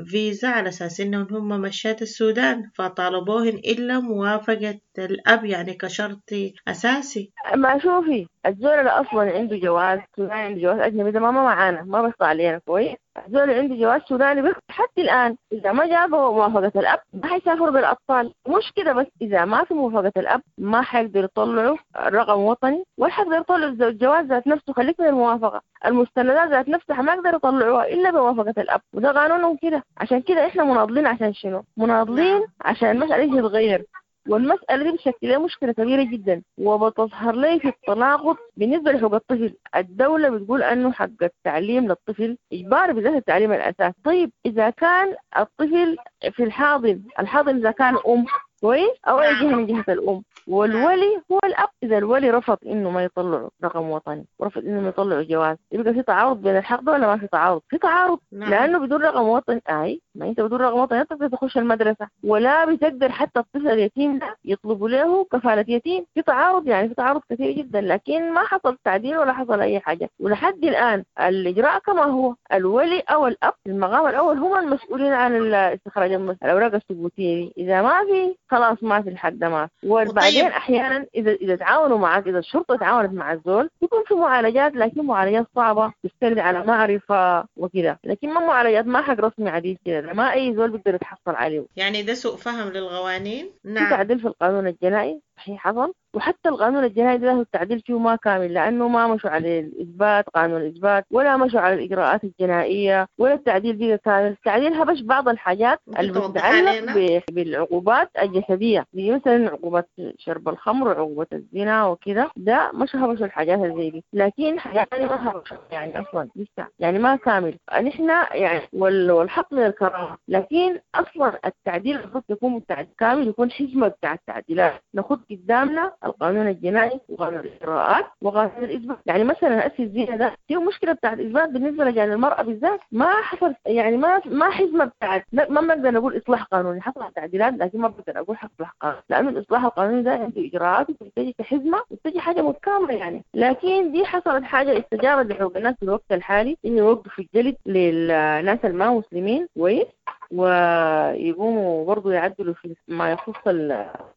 فيزا على أساس إنهم هم مشات السودان، فطالبوهن إلا موافقة الأب يعني كشرط أساسي. ما شوفي الزول اللي أصلا عنده جواز سوداني عنده جواز أجنبي ده ما معانا، ما بيخضع علينا كويس. الزول اللي عنده جواز سوداني بيخضع حتى الآن، إذا ما جابوا موافقة الأب ما حيسافروا بالأطفال. مش كده بس، إذا ما في موافقة الأب ما حيقدر يطلعوا رقم وطني ولا حيقدر يطلعوا الجواز ذات نفسه، خليك من الموافقة، المستندات ذات نفسها ما يقدر يطلعوها إلا بموافقة الأب، وده قانونهم كده. عشان كده إحنا مناضلين. عشان شنو؟ مناضلين عشان المسألة دي تتغير، والمسألة دي بتشكل لي مشكلة كبيرة جدا وبتظهر لي في التناقض بالنسبة لحقوق الطفل. الدولة بتقول أنه حق التعليم للطفل إجباري، بالذات التعليم الأساسي. طيب إذا كان الطفل في الحاضن، الحاضن إذا كان أم كويس أو أي جهة من جهة الأم، والولي هو الأب، إذا الولي رفض إنه ما يطلعوا رقم وطني ورفض إنه ما يطلعوا جواز، يبقى في تعارض بين الحق ده ولا ما في تعارض؟ في تعارض. نعم. لأنه بدون رقم وطني، أي ما أنت بدون رقم وطني تقدر تخش المدرسة ولا بتقدر حتى الطفل اليتيم ده يطلبوا له كفالة يتيم. في تعارض، يعني في تعارض كثير جدا، لكن ما حصل تعديل ولا حصل أي حاجة، ولحد الآن الإجراء كما هو، الولي أو الأب في المقام الأول هم المسؤولين عن استخراج الأوراق الثبوتية. إذا ما في خلاص ما في الحق ده ما. وبعدين احيانا اذا اذا تعاونوا معك، اذا الشرطة تعاونت مع الزول يكون في معالجات، لكن معالجات صعبة تستند على معرفة وكذا، لكن ما معالجات ما حق رسمي عديد كده، ما اي زول بيقدر يتحصل عليه. يعني ده سوء فهم للقوانين. نعم. في تعديل في القانون الجنائي صحيح حصل، وحتى القانون الجنائي ده التعديل فيه ما كامل، لأنه ما مشوا على الإثبات، قانون الإثبات، ولا مشوا على الإجراءات الجنائية، ولا التعديل فيه كامل. التعديل هبش بعض الحاجات اللي بتتعلق بالعقوبات الجسدية، زي مثلا عقوبات شرب الخمر وعقوبة الزنا وكذا، ده مش هبشوا الحاجات زي دي، لكن حاجات ما هبشوا يعني أصلا لسه يعني ما كامل. نحن يعني والحق من الكرامة، لكن أصلا التعديل المفروض يكون تعديل كامل، يكون حزمة بتاع التعديلات ناخد قدامنا القانون الجنائي وقانون الإجراءات وقانون الإثبات. يعني مثلا أسي الزنا ده فيه مشكلة بتاعت الإثبات بالنسبة لجان المرأة بالذات، ما حصل يعني ما ما حزمة بتاعت، ما بنقدر نقول إصلاح قانوني، حصل تعديلات لكن ما بقدر أقول إصلاح قانوني، لأنه الإصلاح القانوني ده عنده إجراءات وبتجي كحزمة وبتجي حاجة متكاملة يعني. لكن دي حصلت حاجة استجابت لحقوق الناس في الوقت الحالي، إنه يوقفوا الجلد للناس الما مسلمين كويس، ويقوموا برضو يعدلوا في ما يخص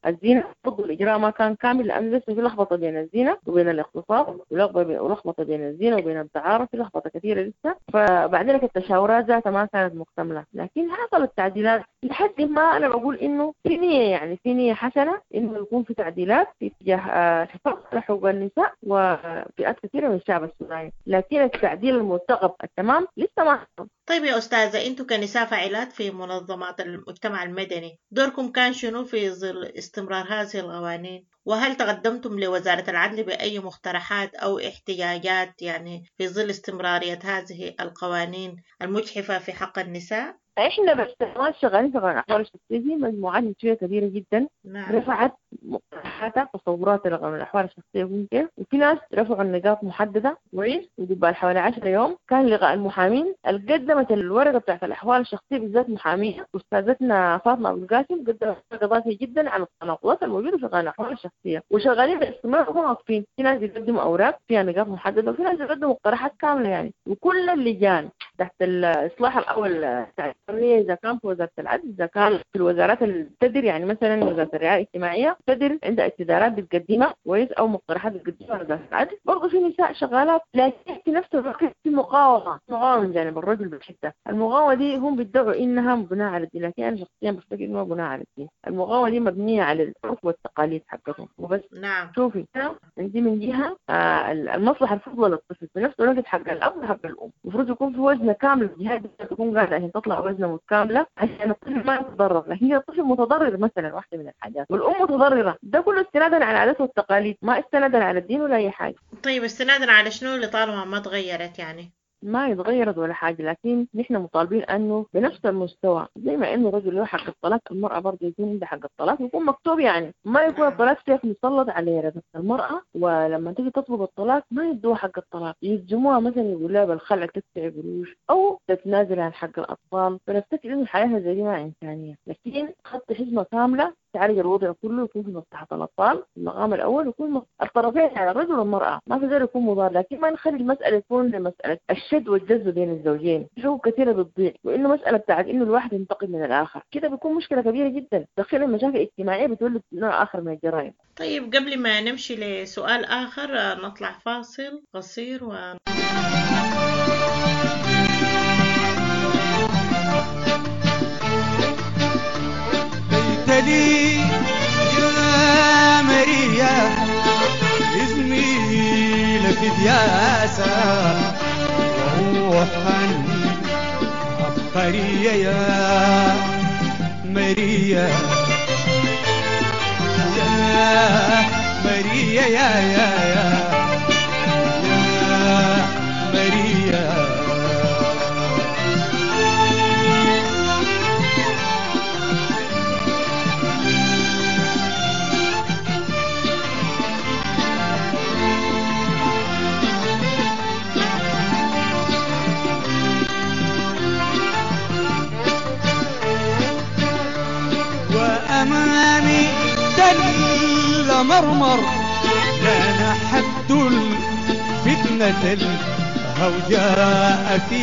الزنا. برضو الإجراء ما كان كامل، لأنه لسه في لخبطة بين الزنا وبين الاغتصاب، ولخبطة بين الزنا وبين الدعارة، في لخبطة كثيرة لسه. فبعدين التشاورات ذاتها ما كانت مكتملة، لكن حصلت تعديلات لحد ما أنا بقول إنه في نية، يعني في نية حسنة إنه يكون في تعديلات في اتجاه الحفاظ على حقوق النساء وفئات كثيرة من الشعب السوداني، لكن التعديل المرتقب التمام لسه ما حصل. طيب يا أستاذة، أنتوا كنساء فاعلات في منظمات المجتمع المدني دوركم كان شنو في ظل استمرار هذه القوانين؟ وهل تقدمتم لوزارة العدل بأي مقترحات أو احتجاجات يعني في ظل استمرارية هذه القوانين المجحفة في حق النساء؟ احنا بس شغالين في قانون الاحوال الشخصية دي مجموعات نسويه كبيرة جدا. نعم. رفعت مقترحاتها تصورات لقانون الاحوال الشخصية ممكن، وفي ناس رفعوا النقاط محددة كويس. وقبل حوالي عشرة يوم كان لقاء المحامين اللي قدمت الورقة بتاعت الاحوال الشخصية بالذات محاميه استاذتنا فاطمة ابو القاسم، قدمت ورقة جدا عن التناقضات الموجودة في قانون الاحوال الشخصية، وشغالين باستمرار وما واقفين. في ناس بيقدموا اوراق فيها نقاط محددة، وفي ناس بيقدموا مقترحات كاملة يعني. وكل اللجان تحت الاصلاح الاول إذا كان في وزارة العدل، إذا كان في الوزارات اللي تدر، يعني مثلا وزارة الرعاية الاجتماعية تدر عندها استدارات بتقدمها كويس أو مقترحات بتقدمها وزارة العدل. برضه في نساء شغالات، لكن في نفس الوقت في مقاومة، مقاومة من جانب الرجل بالحتة. المقاومة دي هم بيدعوا إنها مبناة على الدين، لكن أنا شخصيا بفتكر إنها مبناة على الدين. المقاومة دي مبنية على العرف والتقاليد حقتهم وبس. نعم. شوفي عندي من جهة آه المصلحة الفضلى للطفل، في نفس الوقت حق الأب وحق الأم، المفروض يكون في وزنة كاملة، الجهات تكون قاعدة عشان تطلع وزنة متكاملة عشان الطفل ما يتضرر. لكن الطفل متضرر مثلا واحدة من الحاجات، والأم متضررة، ده كله استنادا على العادات والتقاليد، ما استنادا على الدين ولا أي حاجة. طيب استنادا على شنو اللي طالما ما تغيرت يعني؟ ما يتغيرت ولا حاجة، لكن نحن مطالبين أنه بنفس المستوى زي ما أنه الرجل له حق الطلاق، المرأة برضه يكون عندها حق الطلاق، يكون مكتوب يعني، ما يكون الطلاق سيف مسلط على رقبة المرأة، ولما تيجي تطلب الطلاق ما يدوها حق الطلاق، يلزموها مثلا يقول لها بالخلع تدفع قروش أو تتنازل عن حق الأطفال. فنفتكر إنه الحياة زي دي ما إنسانية، لكن خط حزمة كاملة تعالج الوضع كله، يكون في مصلحة الأطفال في المقام الأول، يكون الطرفين يعني الرجل والمرأة، ما في زول يكون مضار. لكن ما نخلي المسألة تكون مسألة الشد والجذب بين الزوجين، حقوق كثيرة بتضيع، وإنه مسألة بتاعت إنه الواحد ينتقم من الآخر كده بيكون مشكلة كبيرة جدا، تدخل المشاكل الاجتماعية بتولد نوع آخر من الجرائم. طيب قبل ما نمشي لسؤال آخر نطلع فاصل قصير و لي يا ماريا زميلة في دياسة وروحا عبقرية يا ماريا يا ماريا يا يا يا يا ماريا. أمامي دل مرمر كان حد الفتنة الهوجاء في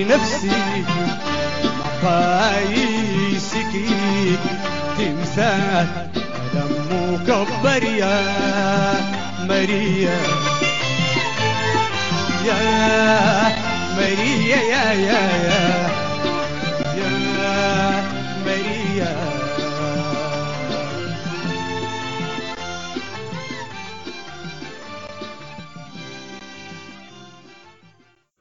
نفسي مقاييسك تمثال ألم مكبر يا ماريا يا ماريا يا يا يا يا ماريا.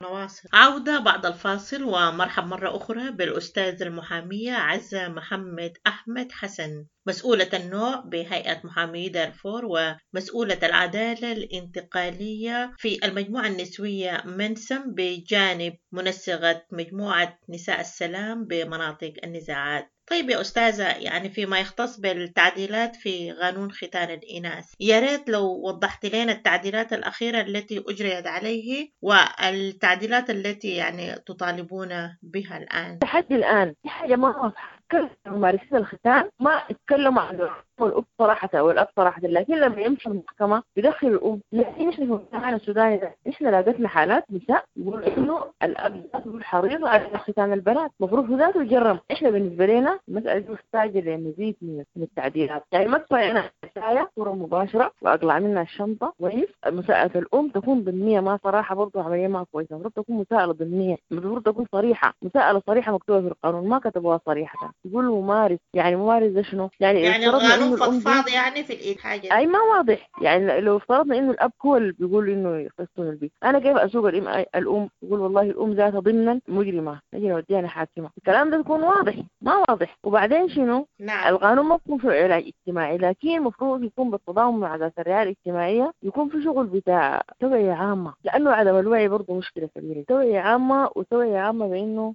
نواصل عودة بعد الفاصل، ومرحب مرة أخرى بالأستاذ المحامية عزة محمد أحمد حسن، مسؤولة النوع بهيئة محامي دارفور ومسؤولة العدالة الانتقالية في المجموعة النسوية منسم، بجانب منسقة مجموعة نساء السلام بمناطق النزاعات. طيب يا أستاذة، يعني فيما يختص بالتعديلات في قانون ختان الإناث، يا ريت لو وضحت لنا التعديلات الأخيرة التي أجريت عليه والتعديلات التي يعني تطالبون بها الآن. لحد الآن في حاجة ما واضحة، كل ممارسين الختان ما اتكلموا عن الأم صراحة أو الأب صراحة، لكن لما يمشوا المحكمة بيدخلوا الأم. لكن نحن في مجتمعنا السوداني ده نحن لاقتنا حالات نساء يقولوا إنه الأب ذاته حريص على ختان البنات، المفروض ذاته يجرم. إحنا بالنسبة لنا المسألة دي محتاجة لمزيد من التعديلات، يعني ما كفاية أنا التاية صورة مباشرة وأقلع منها الشنطة كويس. مساءلة الأم تكون ضمنية، ما صراحة برضه عملية ما كويسة، المفروض تكون مساءلة ضمنية، المفروض تكون صريحة، مساءلة صريحة مكتوبة في القانون ما كتبوها صريحة. يقولوا ممارس، يعني ممارس ده شنو؟ يعني يعني القانون فضفاض يعني في الإيد حاجة أي ما واضح. يعني لو افترضنا إنه الأب هو اللي بيقول إنه يخصون البيت، أنا كيف أسوق الأم؟ الأم يقول والله الأم ذاتها ضمنا مجرمة، نجي نوديها لحاكمة. الكلام ده يكون واضح، ما واضح. وبعدين شنو؟ نعم. القانون ما بيكون في علاج اجتماعي، لكن المفروض يكون بالتضامن مع ذات الرعاية الاجتماعية، يكون في شغل بتاع توعية عامة، لأنه عدم الوعي برضه مشكلة كبيرة. توعية عامة، وتوعية عامة بإنه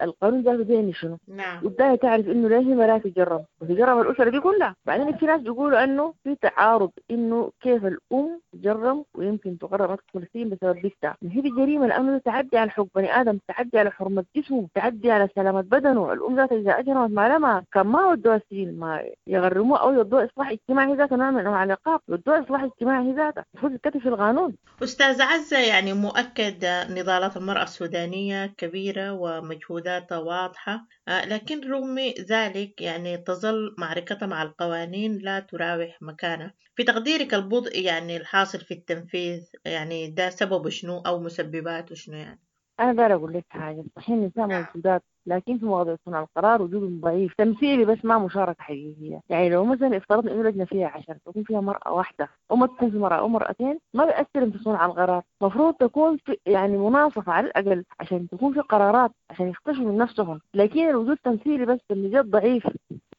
القانون ذاته بيعني شنو. نعم. وبداية تعرف إنه ليه ما تجرم وتجرم الأسرة دي كلها. بعدين في ناس بيقولوا إنه في تعارض، إنه كيف الأم تجرم ويمكن تغرم أكثر سنين بسبب بنتها. هي دي جريمة، لأنه تعدي على حق بني آدم، تعدي على حرمة جسمه، تعدي على سلامة بدنه. الأم ذاتها إذا أجرمت ما لما كان ما ودوها السجن، ما يغرموه أو يودوها إصلاح اجتماعي ذاته، نوع من أنواع العقاب، يودوها إصلاح اجتماعي ذاته، المفروض يتكتب في القانون. أستاذ عزة، يعني مؤكد نضالات المرأة السودانية كبيرة ومجهوداتها واضحة، لكن رغم ذلك يعني تظل معركتها مع القوانين لا تراوح مكانها. في تقديرك البطء يعني الحاصل في التنفيذ يعني ده سببه شنو أو مسبباته شنو؟ يعني أنا داير أقول لك حاجة، صحيح النساء موجودات، لكن في مواضيع صنع القرار وجودهم ضعيف، تمثيلي بس ما مشاركة حقيقية. يعني لو مثلا افترضنا إنه لجنة فيها عشرة تكون فيها مرأة واحدة أو ما تكون في مرأة أو مرأتين، ما بيأثر في صنع القرار. مفروض تكون في يعني مناصفة على الأقل عشان تكون في قرارات، عشان يختشوا من نفسهم. لكن الوجود تمثيلي بس، النجاح ضعيف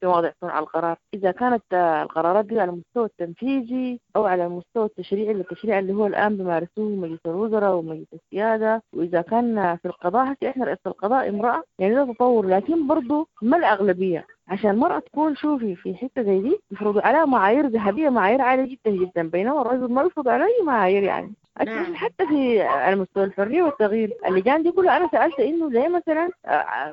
في مواضيع صنع القرار، إذا كانت القرارات دي على المستوى التنفيذي أو على المستوى التشريعي، التشريع اللي هو الآن بيمارسوه مجلس الوزراء ومجلس السيادة، وإذا كان في القضاء حتى إحنا رئيسة القضاء امرأة، يعني ده تطور، لكن برضو ما الأغلبية. عشان المرأة تكون شوفي في حتة زي دي يفرضوا عليها معايير ذهبية، معايير عالية جدا جدا، بينما الرجل ما يفرض عليه معايير. يعني نعم. حتى في على مستوى الحرية والتغيير اللجان دي كلها، أنا سألت إنه ليه مثلا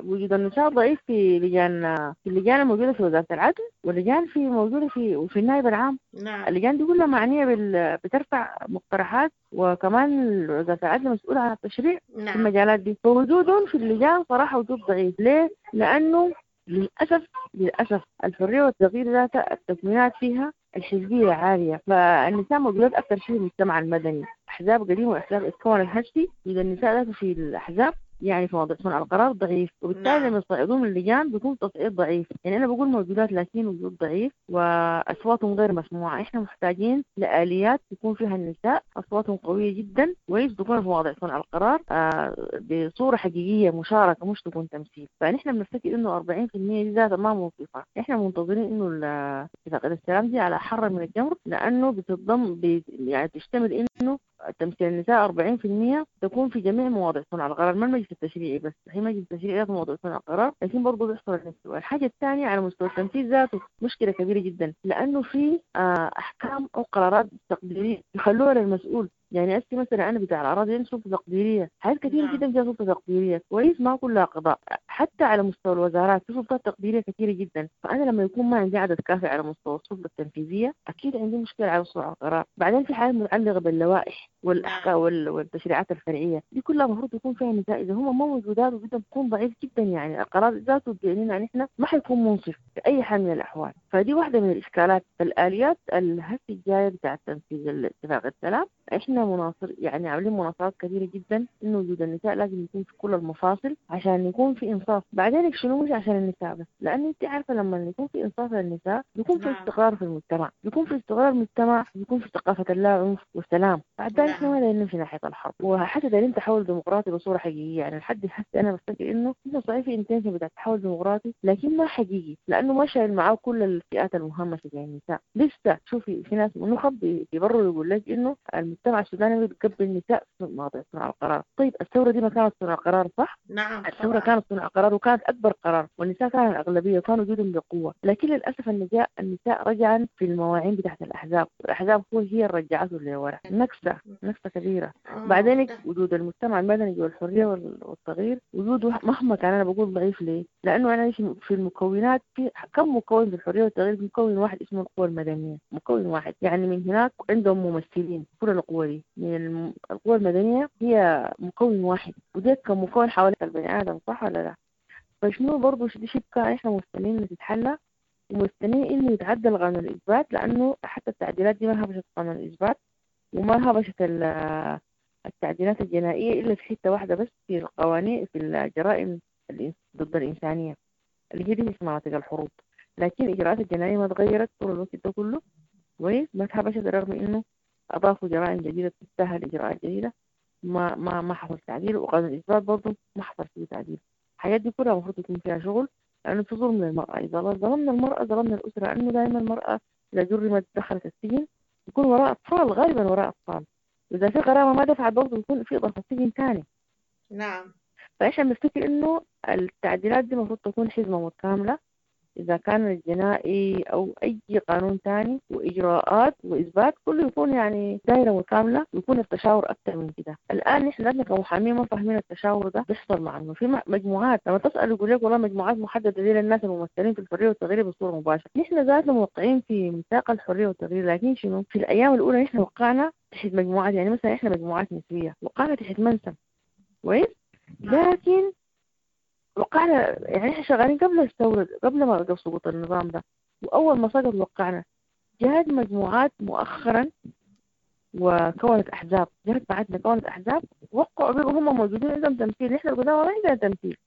وجود النساء ضعيف في لجان، في اللجان الموجودة في وزارة العدل، واللجان في موجودة في وفي النائب العام. نعم. اللجان دي كلها معنية بال... بترفع مقترحات، وكمان وزارة العدل مسؤولة عن التشريع. نعم. في المجالات دي، فوجودهم في اللجان صراحة وجود ضعيف. ليه؟ لأنه للأسف للأسف الحرية والتغيير ذات التكوينات فيها الحزبية عالية، فالنساء موجودات أكثر شيء في المجتمع المدني، أحزاب قديمة وأحزاب اتكونت هشتي. إذا النساء ذاته في الأحزاب يعني في موضوع صنع القرار ضعيف، وبالتالي لما يصعدون من اللجان بيكون تصعيد ضعيف. يعني أنا بقول موجودات لكن وجود ضعيف وأصواتهم غير مسموعة. إحنا محتاجين لآليات تكون فيها النساء أصواتهم قوية جدا ويكون في مواضيع صنع القرار آه بصورة حقيقية، مشاركة، مش تكون تمثيل. فنحن بنفتكر إنه أربعين بالمية دي ذاتها ما موقفة. إحنا منتظرين إنه اتفاقية السلام دي على حر من الجمر، لأنه بتضم بي يعني تشتمل إنه تمثيل النساء أربعين بالمية تكون في جميع مواضيع صنع القرار، ما المجلس التشريعي بس، هي مجلس التشريعي في مواضيع صنع القرار، لكن برضه بيحصل النساء. الحاجة الثانية على مستوى التنفيذ ذاته مشكلة كبيرة جدا، لأنه في أحكام أو قرارات تقديرية يخلوها للمسؤول. يعني أسي مثلا أنا بتاع الأراضي عندي سلطة تقديرية، حاجات كثيرة جدا فيها سلطة تقديرية، كويس، ما كلها قضاء، حتى على مستوى الوزارات في سلطات تقديرية كثيرة جدا. فأنا لما يكون ما عندي عدد كافي على مستوى السلطة التنفيذية أكيد عندي مشكلة على مستوى القرار. بعدين في حاجات متعلقة باللوائح والأحكام والتشريعات الفرعية دي كلها المفروض يكون فيها نساء، إذا هم ما موجودات وجودهم بيكون ضعيف جدا. يعني القرار ذاته بيعنينا نحن ما حيكون منصف في أي حال من الأحوال. فدي واحدة من الإشكالات. الآليات الهسه الجاية بتاع تنفيذ اتفاق السلام احنا مناصر، يعني عاملين مناصرات كثيرة جدا انه وجود النساء لازم يكون في كل المفاصل عشان يكون في انصاف. بعدين شنو مش عشان النساء بس، لان انت عارفه لما يكون في انصاف للنساء بيكون في استقرار في المجتمع، بيكون في استقرار المجتمع، بيكون في ثقافة اللا عنف والسلام. بعد ذلك احنا ما دايرين في ناحية الحرب، وحتى دايرين تحول ديمقراطي بصورة حقيقية. يعني لحد هسه انا بفتكر انه انه صحيح في intention بتاع تحول ديمقراطي، لكن ما حقيقي، لانه ما شايل معاه كل الفئات المهمشه زي النساء. لسه شوفي في ناس نخب بيبرروا يقول لك انه المجتمع السوداني بيتقبل النساء في مواضيع صنع القرار. طيب الثورة دي ما كانت صنع قرار صح؟ نعم الثورة كانت صنع قرار وكانت أكبر قرار، والنساء كانت الأغلبية وكانوا وجودهم بقوة، لكن للأسف النساء النساء رجعا في المواعين بتاعت الأحزاب، الأحزاب هو هي اللي رجعته لورا، نكسة نكسة كبيرة. بعدين وجود المجتمع المدني والحرية والتغيير وجوده مهما كان أنا بقول ضعيف. ليه؟ لأنه أنا في المكونات في كم مكون في الحرية والتغيير؟ مكون واحد اسمه القوى المدنية، مكون واحد، يعني من هناك عندهم ممثلين كل القوى دي. من القوى المدنية هي مكون واحد، وده كمكون حوالي البني آدم صح ولا لا؟ فشنو برضو دي شبكة احنا مستنيين تتحلى، ومستنيين إنه يتعدل قانون الإثبات، لأنه حتى التعديلات دي ما هبشت قانون الإثبات وما هبشت التعديلات الجنائية إلا في حتة واحدة بس، في القوانين في الجرائم ضد الإنسانية اللي هي دي في مناطق الحروب. لكن الإجراءات الجنائية ما تغيرت طول الوقت ده كله، كويس، ما اتهبشت رغم إنه أضافوا جرائم جديدة تستاهل إجراءات جديدة، ما ما ما حصل تعديل. وقانون الإثبات برضه ما حصل فيه تعديل. الحاجات دي كلها المفروض يكون فيها شغل، لأنه في ظلم للمرأة. إذا ظلمنا المرأة ظلمنا الأسرة، لأنه دائما المرأة إذا جرمت دخلت السجن يكون وراء أطفال، غالبا وراء أطفال، وإذا في غرامة ما دفعت برضه يكون في إضافة سجن ثاني. نعم. فإحنا بنفتكر إنه التعديلات دي المفروض تكون حزمة متكاملة، إذا كان الجنائي أو أي قانون تاني وإجراءات وإثبات كله يكون يعني دائرة متكاملة، ويكون التشاور أكثر من كده. الآن نحن لازم كمحامين ما فاهمين التشاور ده بيحصل مع إنه في مجموعات لما تسأل يقول لك والله مجموعات محددة دي للناس الممثلين في الحرية والتغيير بصورة مباشرة. نحن ذاتنا موقعين في ميثاق الحرية والتغيير، لكن شنو في الأيام الأولى نحن وقعنا تحت مجموعات، يعني مثلا إحنا مجموعات نسوية وقعنا تحت منسم، كويس، لكن وقعنا يعني احنا شغالين قبل الثورة، قبل ما قبل سقوط النظام ده، وأول ما سقط وقعنا. جهت مجموعات مؤخرا وكونت أحزاب، جهت بعدنا كونت أحزاب وقعوا بيبقوا هم موجودين عندهم تمثيل. نحن القدامى ما عندنا تمثيل،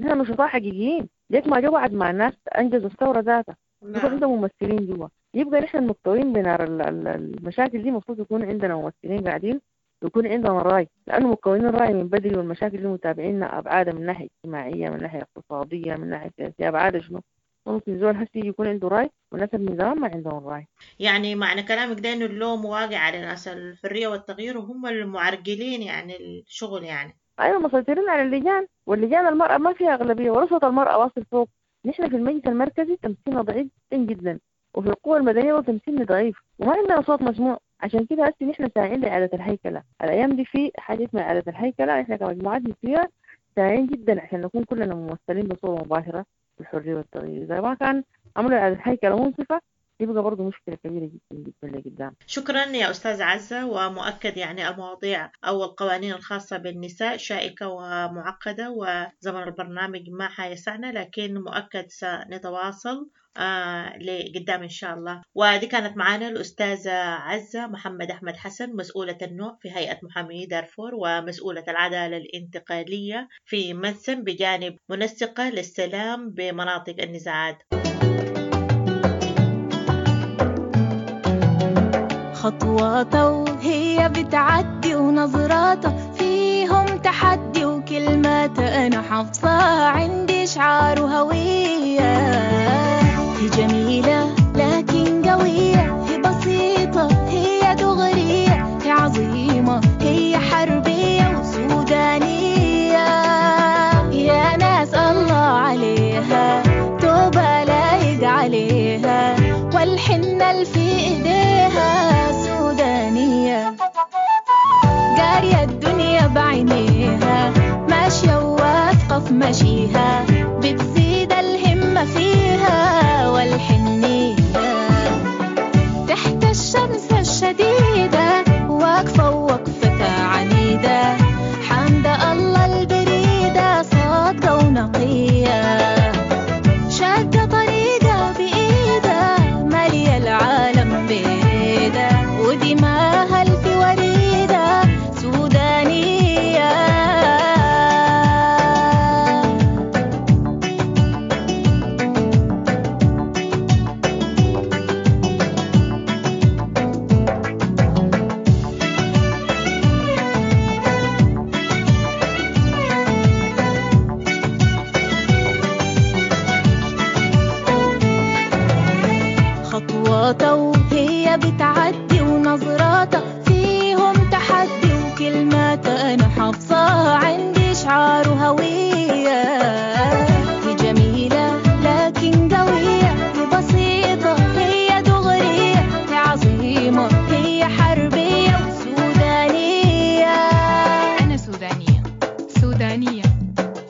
نحن نشطاء حقيقيين، ليك ما جو بعد مع الناس أنجزوا الثورة ذاتها، يبقى عندهم ممثلين جوا. يبقى نحن المكتوين بنار المشاكل دي، المفروض يكون عندنا ممثلين قاعدين يكون عندنا رأي، لأنه مكونين الرأي من بدري، والمشاكل اللي متابعيننا أبعادها من ناحية اجتماعية، من ناحية اقتصادية، من ناحية سياسية، أبعادها شنو. ممكن زول هسي يكون عنده رأي والناس من زمان ما عندهم رأي. يعني معنى كلامك ده إنه اللوم واقع على ناس الحرية والتغيير، وهم المعرقلين يعني الشغل يعني. أيوة، مسيطرين على اللجان، واللجان المرأة ما فيها أغلبية، ورصة المرأة واصل فوق. نحن في المجلس المركزي تمثيلنا ضعيف جدا، وفي القوى المدنية تمثيلنا ضعيف، وما عندنا صوت مسموع. عشان كده هسه نحن ساعين لإعادة الهيكلة. الأيام دي في حاجة اسمها إعادة الهيكلة، نحن كمجموعات نسوية ساعين جدا عشان نكون كلنا ممثلين بصورة مباشرة في الحرية والتغيير. إذا ما كان عملوا إعادة هيكلة منصفة يبقى برضه مشكلة كبيرة جدا جدا لقدام. شكرا يا أستاذ عزة. ومؤكد يعني المواضيع أو القوانين الخاصة بالنساء شائكة ومعقدة، وزمن البرنامج ما حيسعنا، لكن مؤكد سنتواصل آه لقدام إن شاء الله. ودي كانت معنا الأستاذة عزة محمد أحمد حسن، مسؤولة النوع في هيئة محامي دارفور ومسؤولة العدالة الانتقالية في منسم، بجانب منسقة للسلام بمناطق النزاعات. خطواته وهي بتعدي ونظراته فيهم تحدي وكلماته أنا حافظاها عندي شعار وهوية. هي جميلة لكن قوية، هي بسيطة هي دغرية، هي عظيمة هي حربية وسودانية. يا ناس الله عليها توبة لايق عليها، والحنة اللي في إيديها سودانية. قارية الدنيا بعينيها، ماشية وواثقة في مشيها، بتزيد الهمة فيها والحنية. تحت الشمس الشديدة واقفة ووقفتها عنيدة، حامدة الله البريدة صادقة ونقية، شاقة طريقة بإيدها مالية العالم بيدة، ودماها الف وريدة سودانية. خطواته وهي بتعدي ونظراته فيهم تحدي وكلماته أنا حافظاها عندي شعار وهوية. هي جميلة لكن قوية، هي بسيطة هي دغرية، هي عظيمة هي حربية وسودانية. أنا سودانية سودانية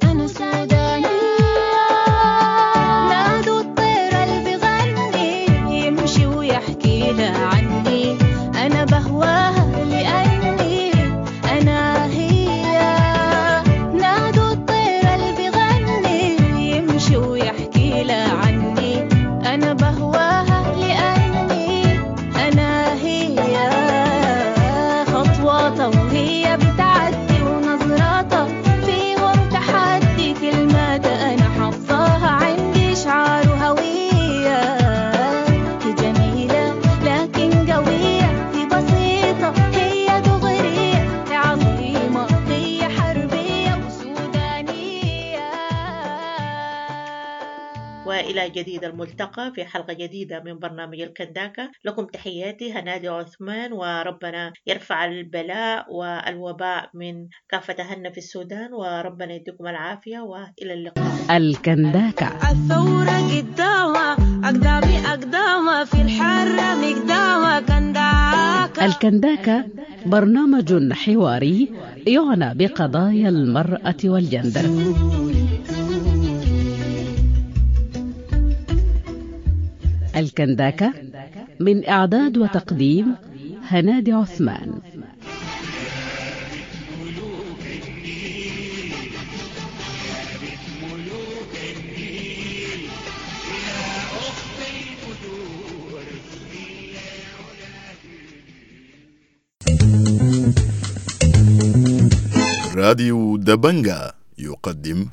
أنا سودانية. نادوا الطير اللي بيغني يمشي ويحكي وإلى جديد الملتقى في حلقة جديدة من برنامج الكنداكة. لكم تحياتي هنادي عثمان، وربنا يرفع البلاء والوباء من كافة أهلنا في السودان، وربنا يديكم العافية وإلى اللقاء. الكنداكة. الثورة قدامها أقدامي أقدامها في الحرة مقدامها كنداكة. الكنداكة برنامج حواري يعنى بقضايا المرأة والجندر. الكنداكة من إعداد وتقديم هنادي عثمان. راديو دبنجا يقدم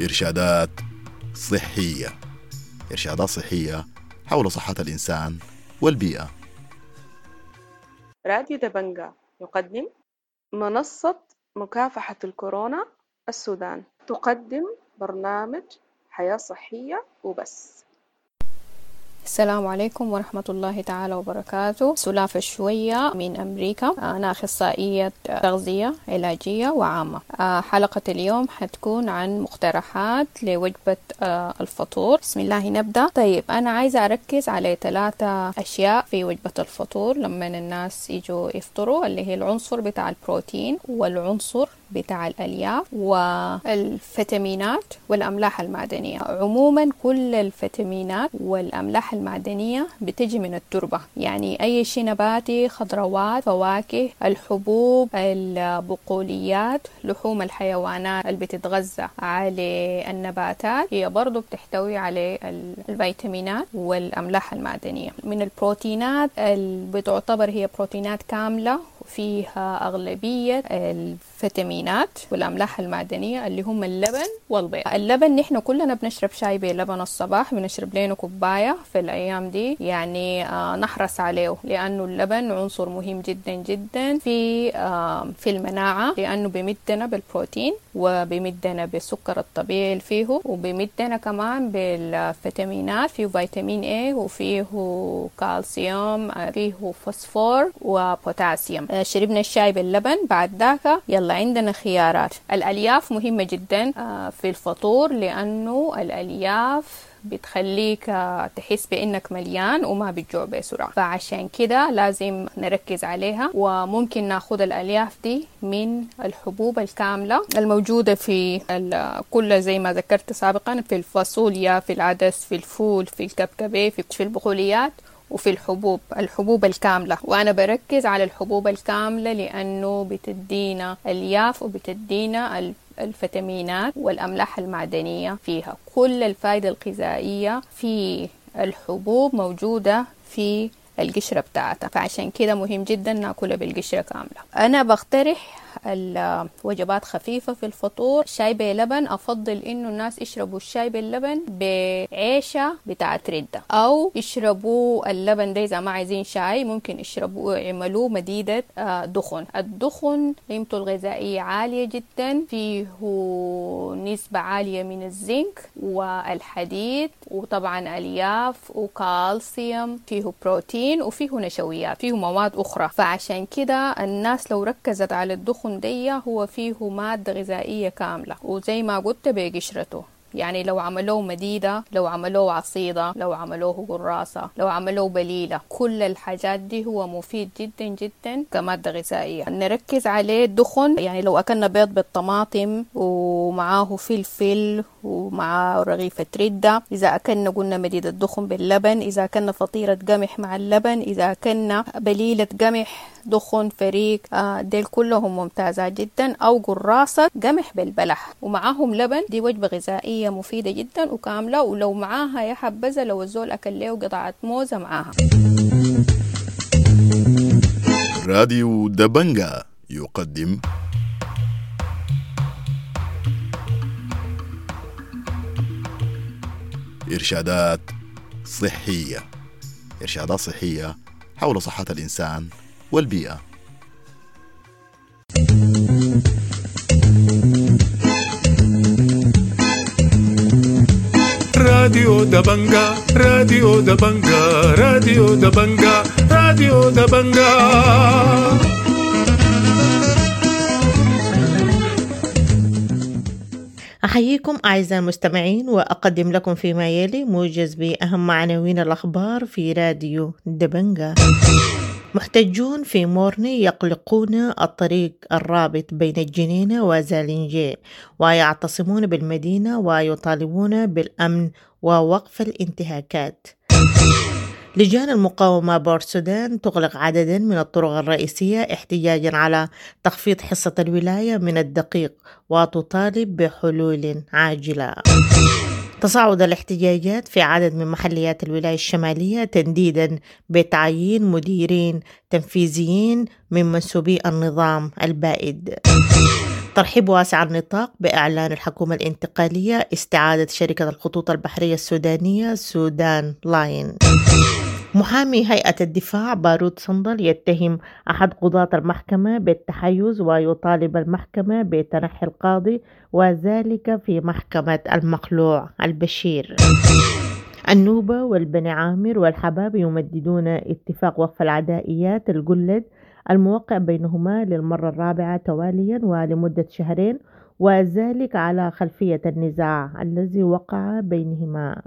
إرشادات صحية. إرشادات صحية حول صحة الإنسان والبيئة. راديو دبنجا يقدم منصة مكافحة الكورونا السودان، تقدم برنامج حياة صحية وبس. السلام عليكم ورحمة الله تعالى وبركاته. سلافة شوية من أمريكا، أنا أخصائية تغذية علاجية وعامة. حلقة اليوم حتكون عن مقترحات لوجبة الفطور. بسم الله نبدأ. طيب، أنا عايزة أركز على ثلاثة أشياء في وجبة الفطور لما الناس يجوا يفطروا، اللي هي العنصر بتاع البروتين والعنصر بتاع الألياف والفيتامينات والأملاح المعدنية. عموما كل الفيتامينات والأملاح المعدنية بتجي من التربة، يعني أي شيء نباتي، خضروات، فواكه، الحبوب، البقوليات، لحوم الحيوانات اللي بتتغذى على النباتات هي برضو بتحتوي على الفيتامينات والأملاح المعدنية. من البروتينات اللي بتعتبر هي بروتينات كاملة فيها أغلبية الفيتامينات والأملاح المعدنية اللي هم اللبن والبيض. اللبن نحن كلنا بنشرب شاي بلبن الصباح، بنشرب لنا كوباية في الأيام دي، يعني آه نحرص عليه لأنه اللبن عنصر مهم جدا جدا في آه في المناعة، لأنه بيمدنا بالبروتين وبيمدنا بالسكر الطبيعي اللي فيه، وبيمدنا كمان بالفيتامينات، فيه فيتامين A وفيه كالسيوم، فيه فوسفور وبوتاسيوم. شربنا الشاي باللبن، بعد ذاك يلا عندنا خيارات. الألياف مهمة جدا في الفطور لأنه الألياف بتخليك تحس بأنك مليان وما بتجوع بسرعة، فعشان كده لازم نركز عليها. وممكن ناخد الألياف دي من الحبوب الكاملة الموجودة في كل زي ما ذكرت سابقا، في الفاصوليا، في العدس، في الفول، في الكبكبة، في البقوليات، وفي الحبوب الحبوب الكاملة. وأنا بركز على الحبوب الكاملة لأنه بتدينا ألياف وبتدينا الفيتامينات والأملاح المعدنية فيها. كل الفائدة الغذائية في الحبوب موجودة في القشرة بتاعتها، فعشان كده مهم جدا ناكلها بالقشرة كاملة. أنا بقترح الوجبات خفيفة في الفطور. شاي بلبن، أفضل إنه الناس يشربوا الشاي باللبن بعيشة بتاعت ردة، أو يشربوا اللبن ده إذا ما عايزين شاي ممكن يشربوا يعملوه مديدة دخن. الدخن قيمته الغذائية عالية جدا، فيه نسبة عالية من الزنك والحديد وطبعا ألياف وكالسيوم، فيه بروتين وفيه نشويات، فيه مواد أخرى. فعشان كده الناس لو ركزت على الدخن دي هو فيه مادة غذائية كاملة، وزي ما قلت بقشرته، يعني لو عملوه مديدة، لو عملوه عصيدة، لو عملوه قراصة، لو عملوه بليلة، كل الحاجات دي هو مفيد جدا جدا كمادة غذائية. نركز عليه الدخن، يعني لو أكلنا بيض بالطماطم ومعاه فلفل ومعاه رغيفة ردة، إذا أكلنا قلنا مديدة دخن باللبن، إذا أكلنا فطيرة قمح مع اللبن، إذا أكلنا بليلة قمح دخن فريك، ديل كلهم ممتازات جدا، أو قراصة قمح بالبلح ومعاهم لبن، دي وجبة غذائية مفيدة جدا وكاملة. ولو معاها يا حبذا لو الزول أكل له قطعة موزة معاها. راديو دبنجا يقدم إرشادات صحية. إرشادات صحية حول صحة الإنسان والبيئة. راديو دبنجا، راديو دبنجا، راديو دبنجا، راديو دبنجا. أحييكم أعزائي المستمعين، وأقدم لكم فيما يلي موجز بأهم عناوين الأخبار في راديو دبنجا. محتجون في مورني يقلقون الطريق الرابط بين الجنينة وزالنجي، ويعتصمون بالمدينة ويطالبون بالأمن ووقف الانتهاكات. لجان المقاومة بورسودان تغلق عددا من الطرق الرئيسية احتجاجا على تخفيض حصة الولاية من الدقيق، وتطالب بحلول عاجلة. تصاعد الاحتجاجات في عدد من محليات الولاية الشمالية تنديدا بتعيين مديرين تنفيذيين من منسوبي النظام البائد. ترحيب واسع النطاق بإعلان الحكومة الانتقالية استعادة شركة الخطوط البحرية السودانية سودان لاين. محامي هيئة الدفاع بارود صندل يتهم أحد قضاة المحكمة بالتحيز ويطالب المحكمة بتنحي القاضي، وذلك في محكمة المخلوع البشير. النوبة والبني عامر والحباب يمددون اتفاق وقف العدائيات الجلد الموقع بينهما للمرة الرابعة تواليا ولمدة شهرين، وذلك على خلفية النزاع الذي وقع بينهما.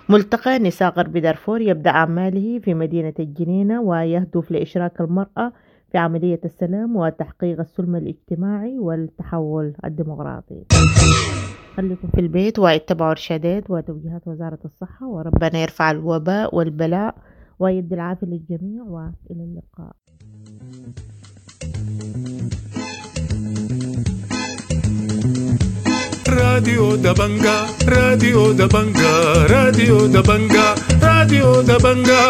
ملتقى نساء غرب دارفور يبدأ أعماله في مدينة الجنينة ويهدف لإشراك المرأة في عملية السلام وتحقيق السلم الاجتماعي والتحول الديمقراطي. خليكم في البيت واتبعوا إرشادات وتوجيهات وزارة الصحة، وربنا يرفع الوباء والبلاء ويدي العافية للجميع، وإلى اللقاء. راديو دبنجا، راديو دبنجا، راديو دبنجا، راديو دبنجا.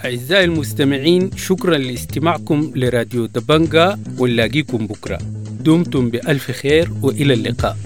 أعزائي المستمعين، شكرا لاستماعكم لراديو دبنجا، ونلاقيكم بكرة. دمتم بألف خير وإلى اللقاء.